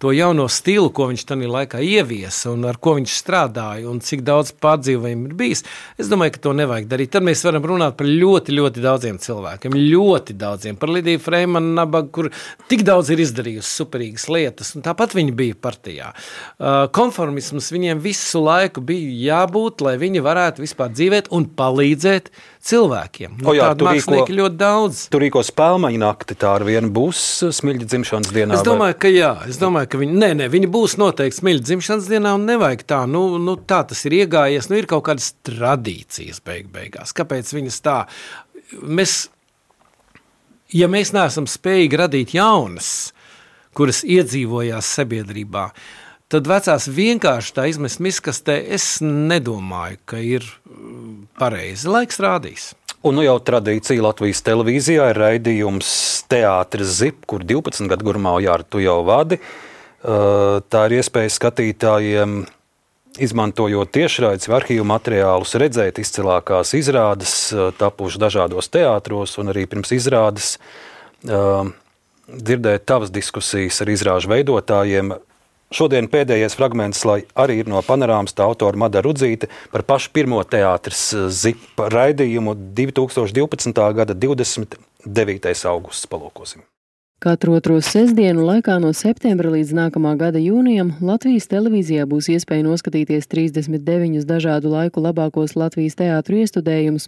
to jauno stilu, ko viņš tajā laikā ieviesa un ar ko viņš strādāja un cik daudz pārdzīvojumu ir bijis, es domāju, ka to nevajag darīt. Tad mēs varam runāt par ļoti, ļoti daudziem cilvēkiem, ļoti daudziem, par Lidiju Freimanu Nabagu, kur tik daudz ir izdarījusi superīgas lietas, un tāpat viņi bija partijā. Uh, konformisms viņiem visu laiku bija jābūt, lai viņi varētu vispār dzīvēt un palīdzēt cilvēkiem. Nu, o jā, tādu mākslinieki rīko, ļoti daudz. Tu rīko spēlmaņu nakti, tā ar vienu būs Smiļģa dzimšanas dienā? Es domāju, vai? ka jā. Es domāju, ka viņi, nē, nē, viņi būs noteikti Smiļģa dzimšanas dienā un nevajag tā. Nu, nu, tā tas ir iegājies. Nu, ir kaut kādas tradīcijas beig beigās. Kāpēc viņas tā? Mēs, ja mēs neesam spējīgi radīt jaunas, kuras iedzīvojās sabiedrībā, tad vecās vienkārši tā izmest miskastē, es nedomāju, ka ir pareizi. Laiks rādīs. Un nu jau tradīcija Latvijas televīzijā ir raidījums Teātris Zip, kur divpadsmit gadu garumā, Jāra, tu jau vadi. Tā ir iespēja skatītājiem, izmantojot tiešraides vai arhīvu materiālus, redzēt izcilākās izrādes, tapuši dažādos teātros un arī pirms izrādes dzirdēt tavas diskusijas ar izrāžu veidotājiem. Šodien pēdējais fragments, lai arī ir no Panorāmas, tā autora Mada Rudzīte par pašu pirmo Teātris Zip raidījumu divi tūkstoši divpadsmitā gada divdesmit devītais augusts. Palūkosim. Katru otro sestdienu laikā no septembra līdz nākamā gada jūnijam Latvijas televīzijā būs iespēja noskatīties trīsdesmit deviņus dažādu laiku labākos Latvijas teātru iestudējumus.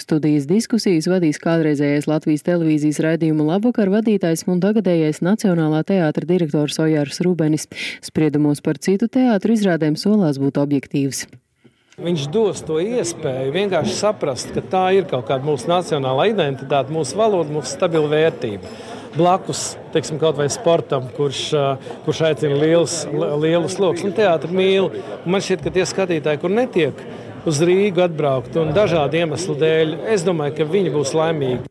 Studijas diskusijas vadīs kādreizējais Latvijas televīzijas raidījuma Labvakar vadītājs un tagadējais Nacionālā teātra direktors Ojārs Rubenis. Spriedumos par citu teātru izrādēm solās būt objektīvs. Viņš dos to iespēju vienkārši saprast, ka tā ir kaut kāda mūsu nacionālā identitāte, mūsu valoda, mūsu stabila vērtība. Blakus, teiksim, kaut vai sportam, kurš, kurš aicina lielus, lielus lokus, un teātri mīl. Un man šķiet, ka tie skatītāji, kur netiek uz Rīgu atbraukt un dažādu iemeslu dēļ, es domāju, ka viņi būs laimīgi.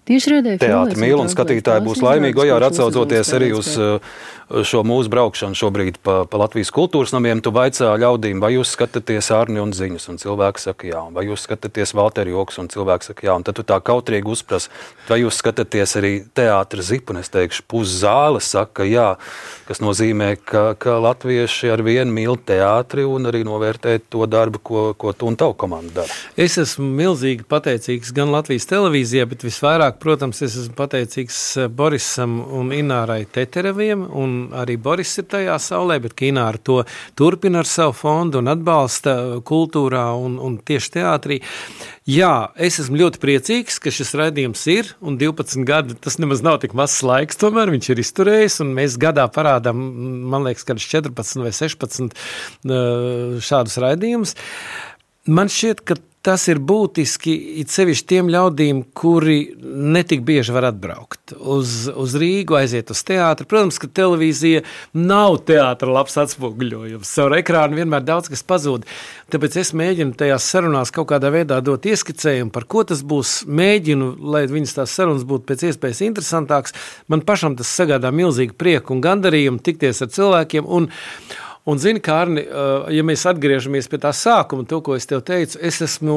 Teātri mīl un skatītāji būs laimīgi, Ojār, atsaucoties arī uz šo mūsu braukšanu šobrīd pa, pa Latvijas kultūras namiem. Tu vaicā ļaudīm, vai jūs skatāties Ārni un Ziņus, un cilvēki saka jā, vai jūs skatāties Valteri Joks, un cilvēki saka jā, un tad tu tā kautrīgi uzpras, vai jūs skatāties arī Teātri Zip, un es teikšu, puszāle saka jā, kas nozīmē, ka, ka latvieši ar vienu mīl teātri un arī novērtē to darbu, ko, ko tu un tavu komanda dara. Es esmu milzīgi pateicīgs gan Latvijas televīzijai, bet visvairāk, protams, es esmu pateicīgs Borisam un Inārai Tetereviem, un arī Boris ir tajā saulē, bet Ināra to turpina ar savu fondu un atbalsta kultūrā un, un tieši teātrī. Jā, es esmu ļoti priecīgs, ka šis raidījums ir, un divpadsmit gadi, tas nemaz nav tik mazs laiks, tomēr viņš ir izturējis, un mēs gadā parādām, man liekas, kādus četrpadsmit vai sešpadsmit šādus raidījumus. Man šķiet, ka tas ir būtiski it sevišķi tiem ļaudīm, kuri netik bieži var atbraukt uz, uz Rīgu, aiziet uz teātri. Protams, ka televīzija nav teātra labs atspoguļojums. Caur ekrānu vienmēr daudz kas pazūd. Tāpēc es mēģinu tajās sarunās kaut kādā veidā dot ieskicējumu, par ko tas būs. Mēģinu, lai viņas tās sarunas būtu pēc iespējas interesantāks. Man pašam tas sagādā milzīgu prieku un gandarījumu tikties ar cilvēkiem. Un Un zini, Kārni, ja mēs atgriežamies pie tā sākuma, to, ko es tev teicu, es esmu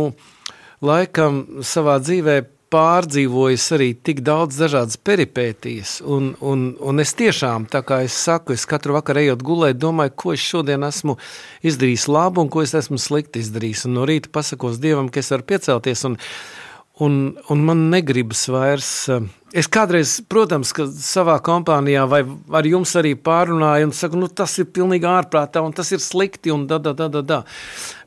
laikam savā dzīvē pārdzīvojis arī tik daudz dažādas peripētijas, un, un, un es tiešām, tā kā es saku, es katru vakaru ejot gulēt, domāju, ko es šodien esmu izdarījis labu un ko es esmu slikti izdarījis, un no rīta pasakos Dievam, ka es varu piecelties, un, un, un man negribas vairs. Es kādreiz, protams, ka savā kompānijā vai ar jums arī pārunāju un saku, nu tas ir pilnīgi ārprātā un tas ir slikti un da, da, da, da, da.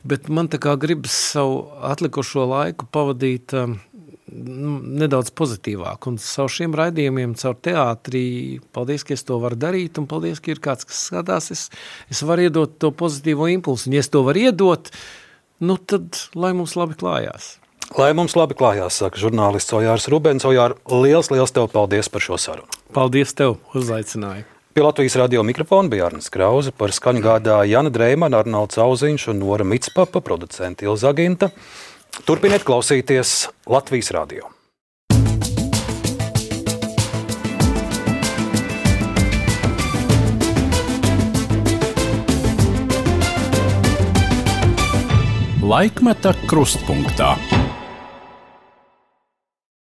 Bet man tā kā gribas savu atlikušo laiku pavadīt um, nedaudz pozitīvāk. Un savu šiem raidījumiem, caur teātrī, paldies, ka es to varu darīt un paldies, ka ir kāds, kas skatās. Es, es varu iedot to pozitīvo impulsu. Un ja es to varu iedot, nu tad lai mums labi klājās. Lai mums labi klājās, saka žurnālists Ojārs Rubens. Ojār, liels, liels tev paldies par šo sarunu. Paldies tev, uzaicināju. Pie Latvijas radio mikrofona bija Arnis Krauze, par skaņu gādāja Jana Dreimana, Arnolds Auziņš un Nora Mitspapa, producenti Ilza Aginta. Turpiniet klausīties Latvijas radio. Laikmeta krustpunktā.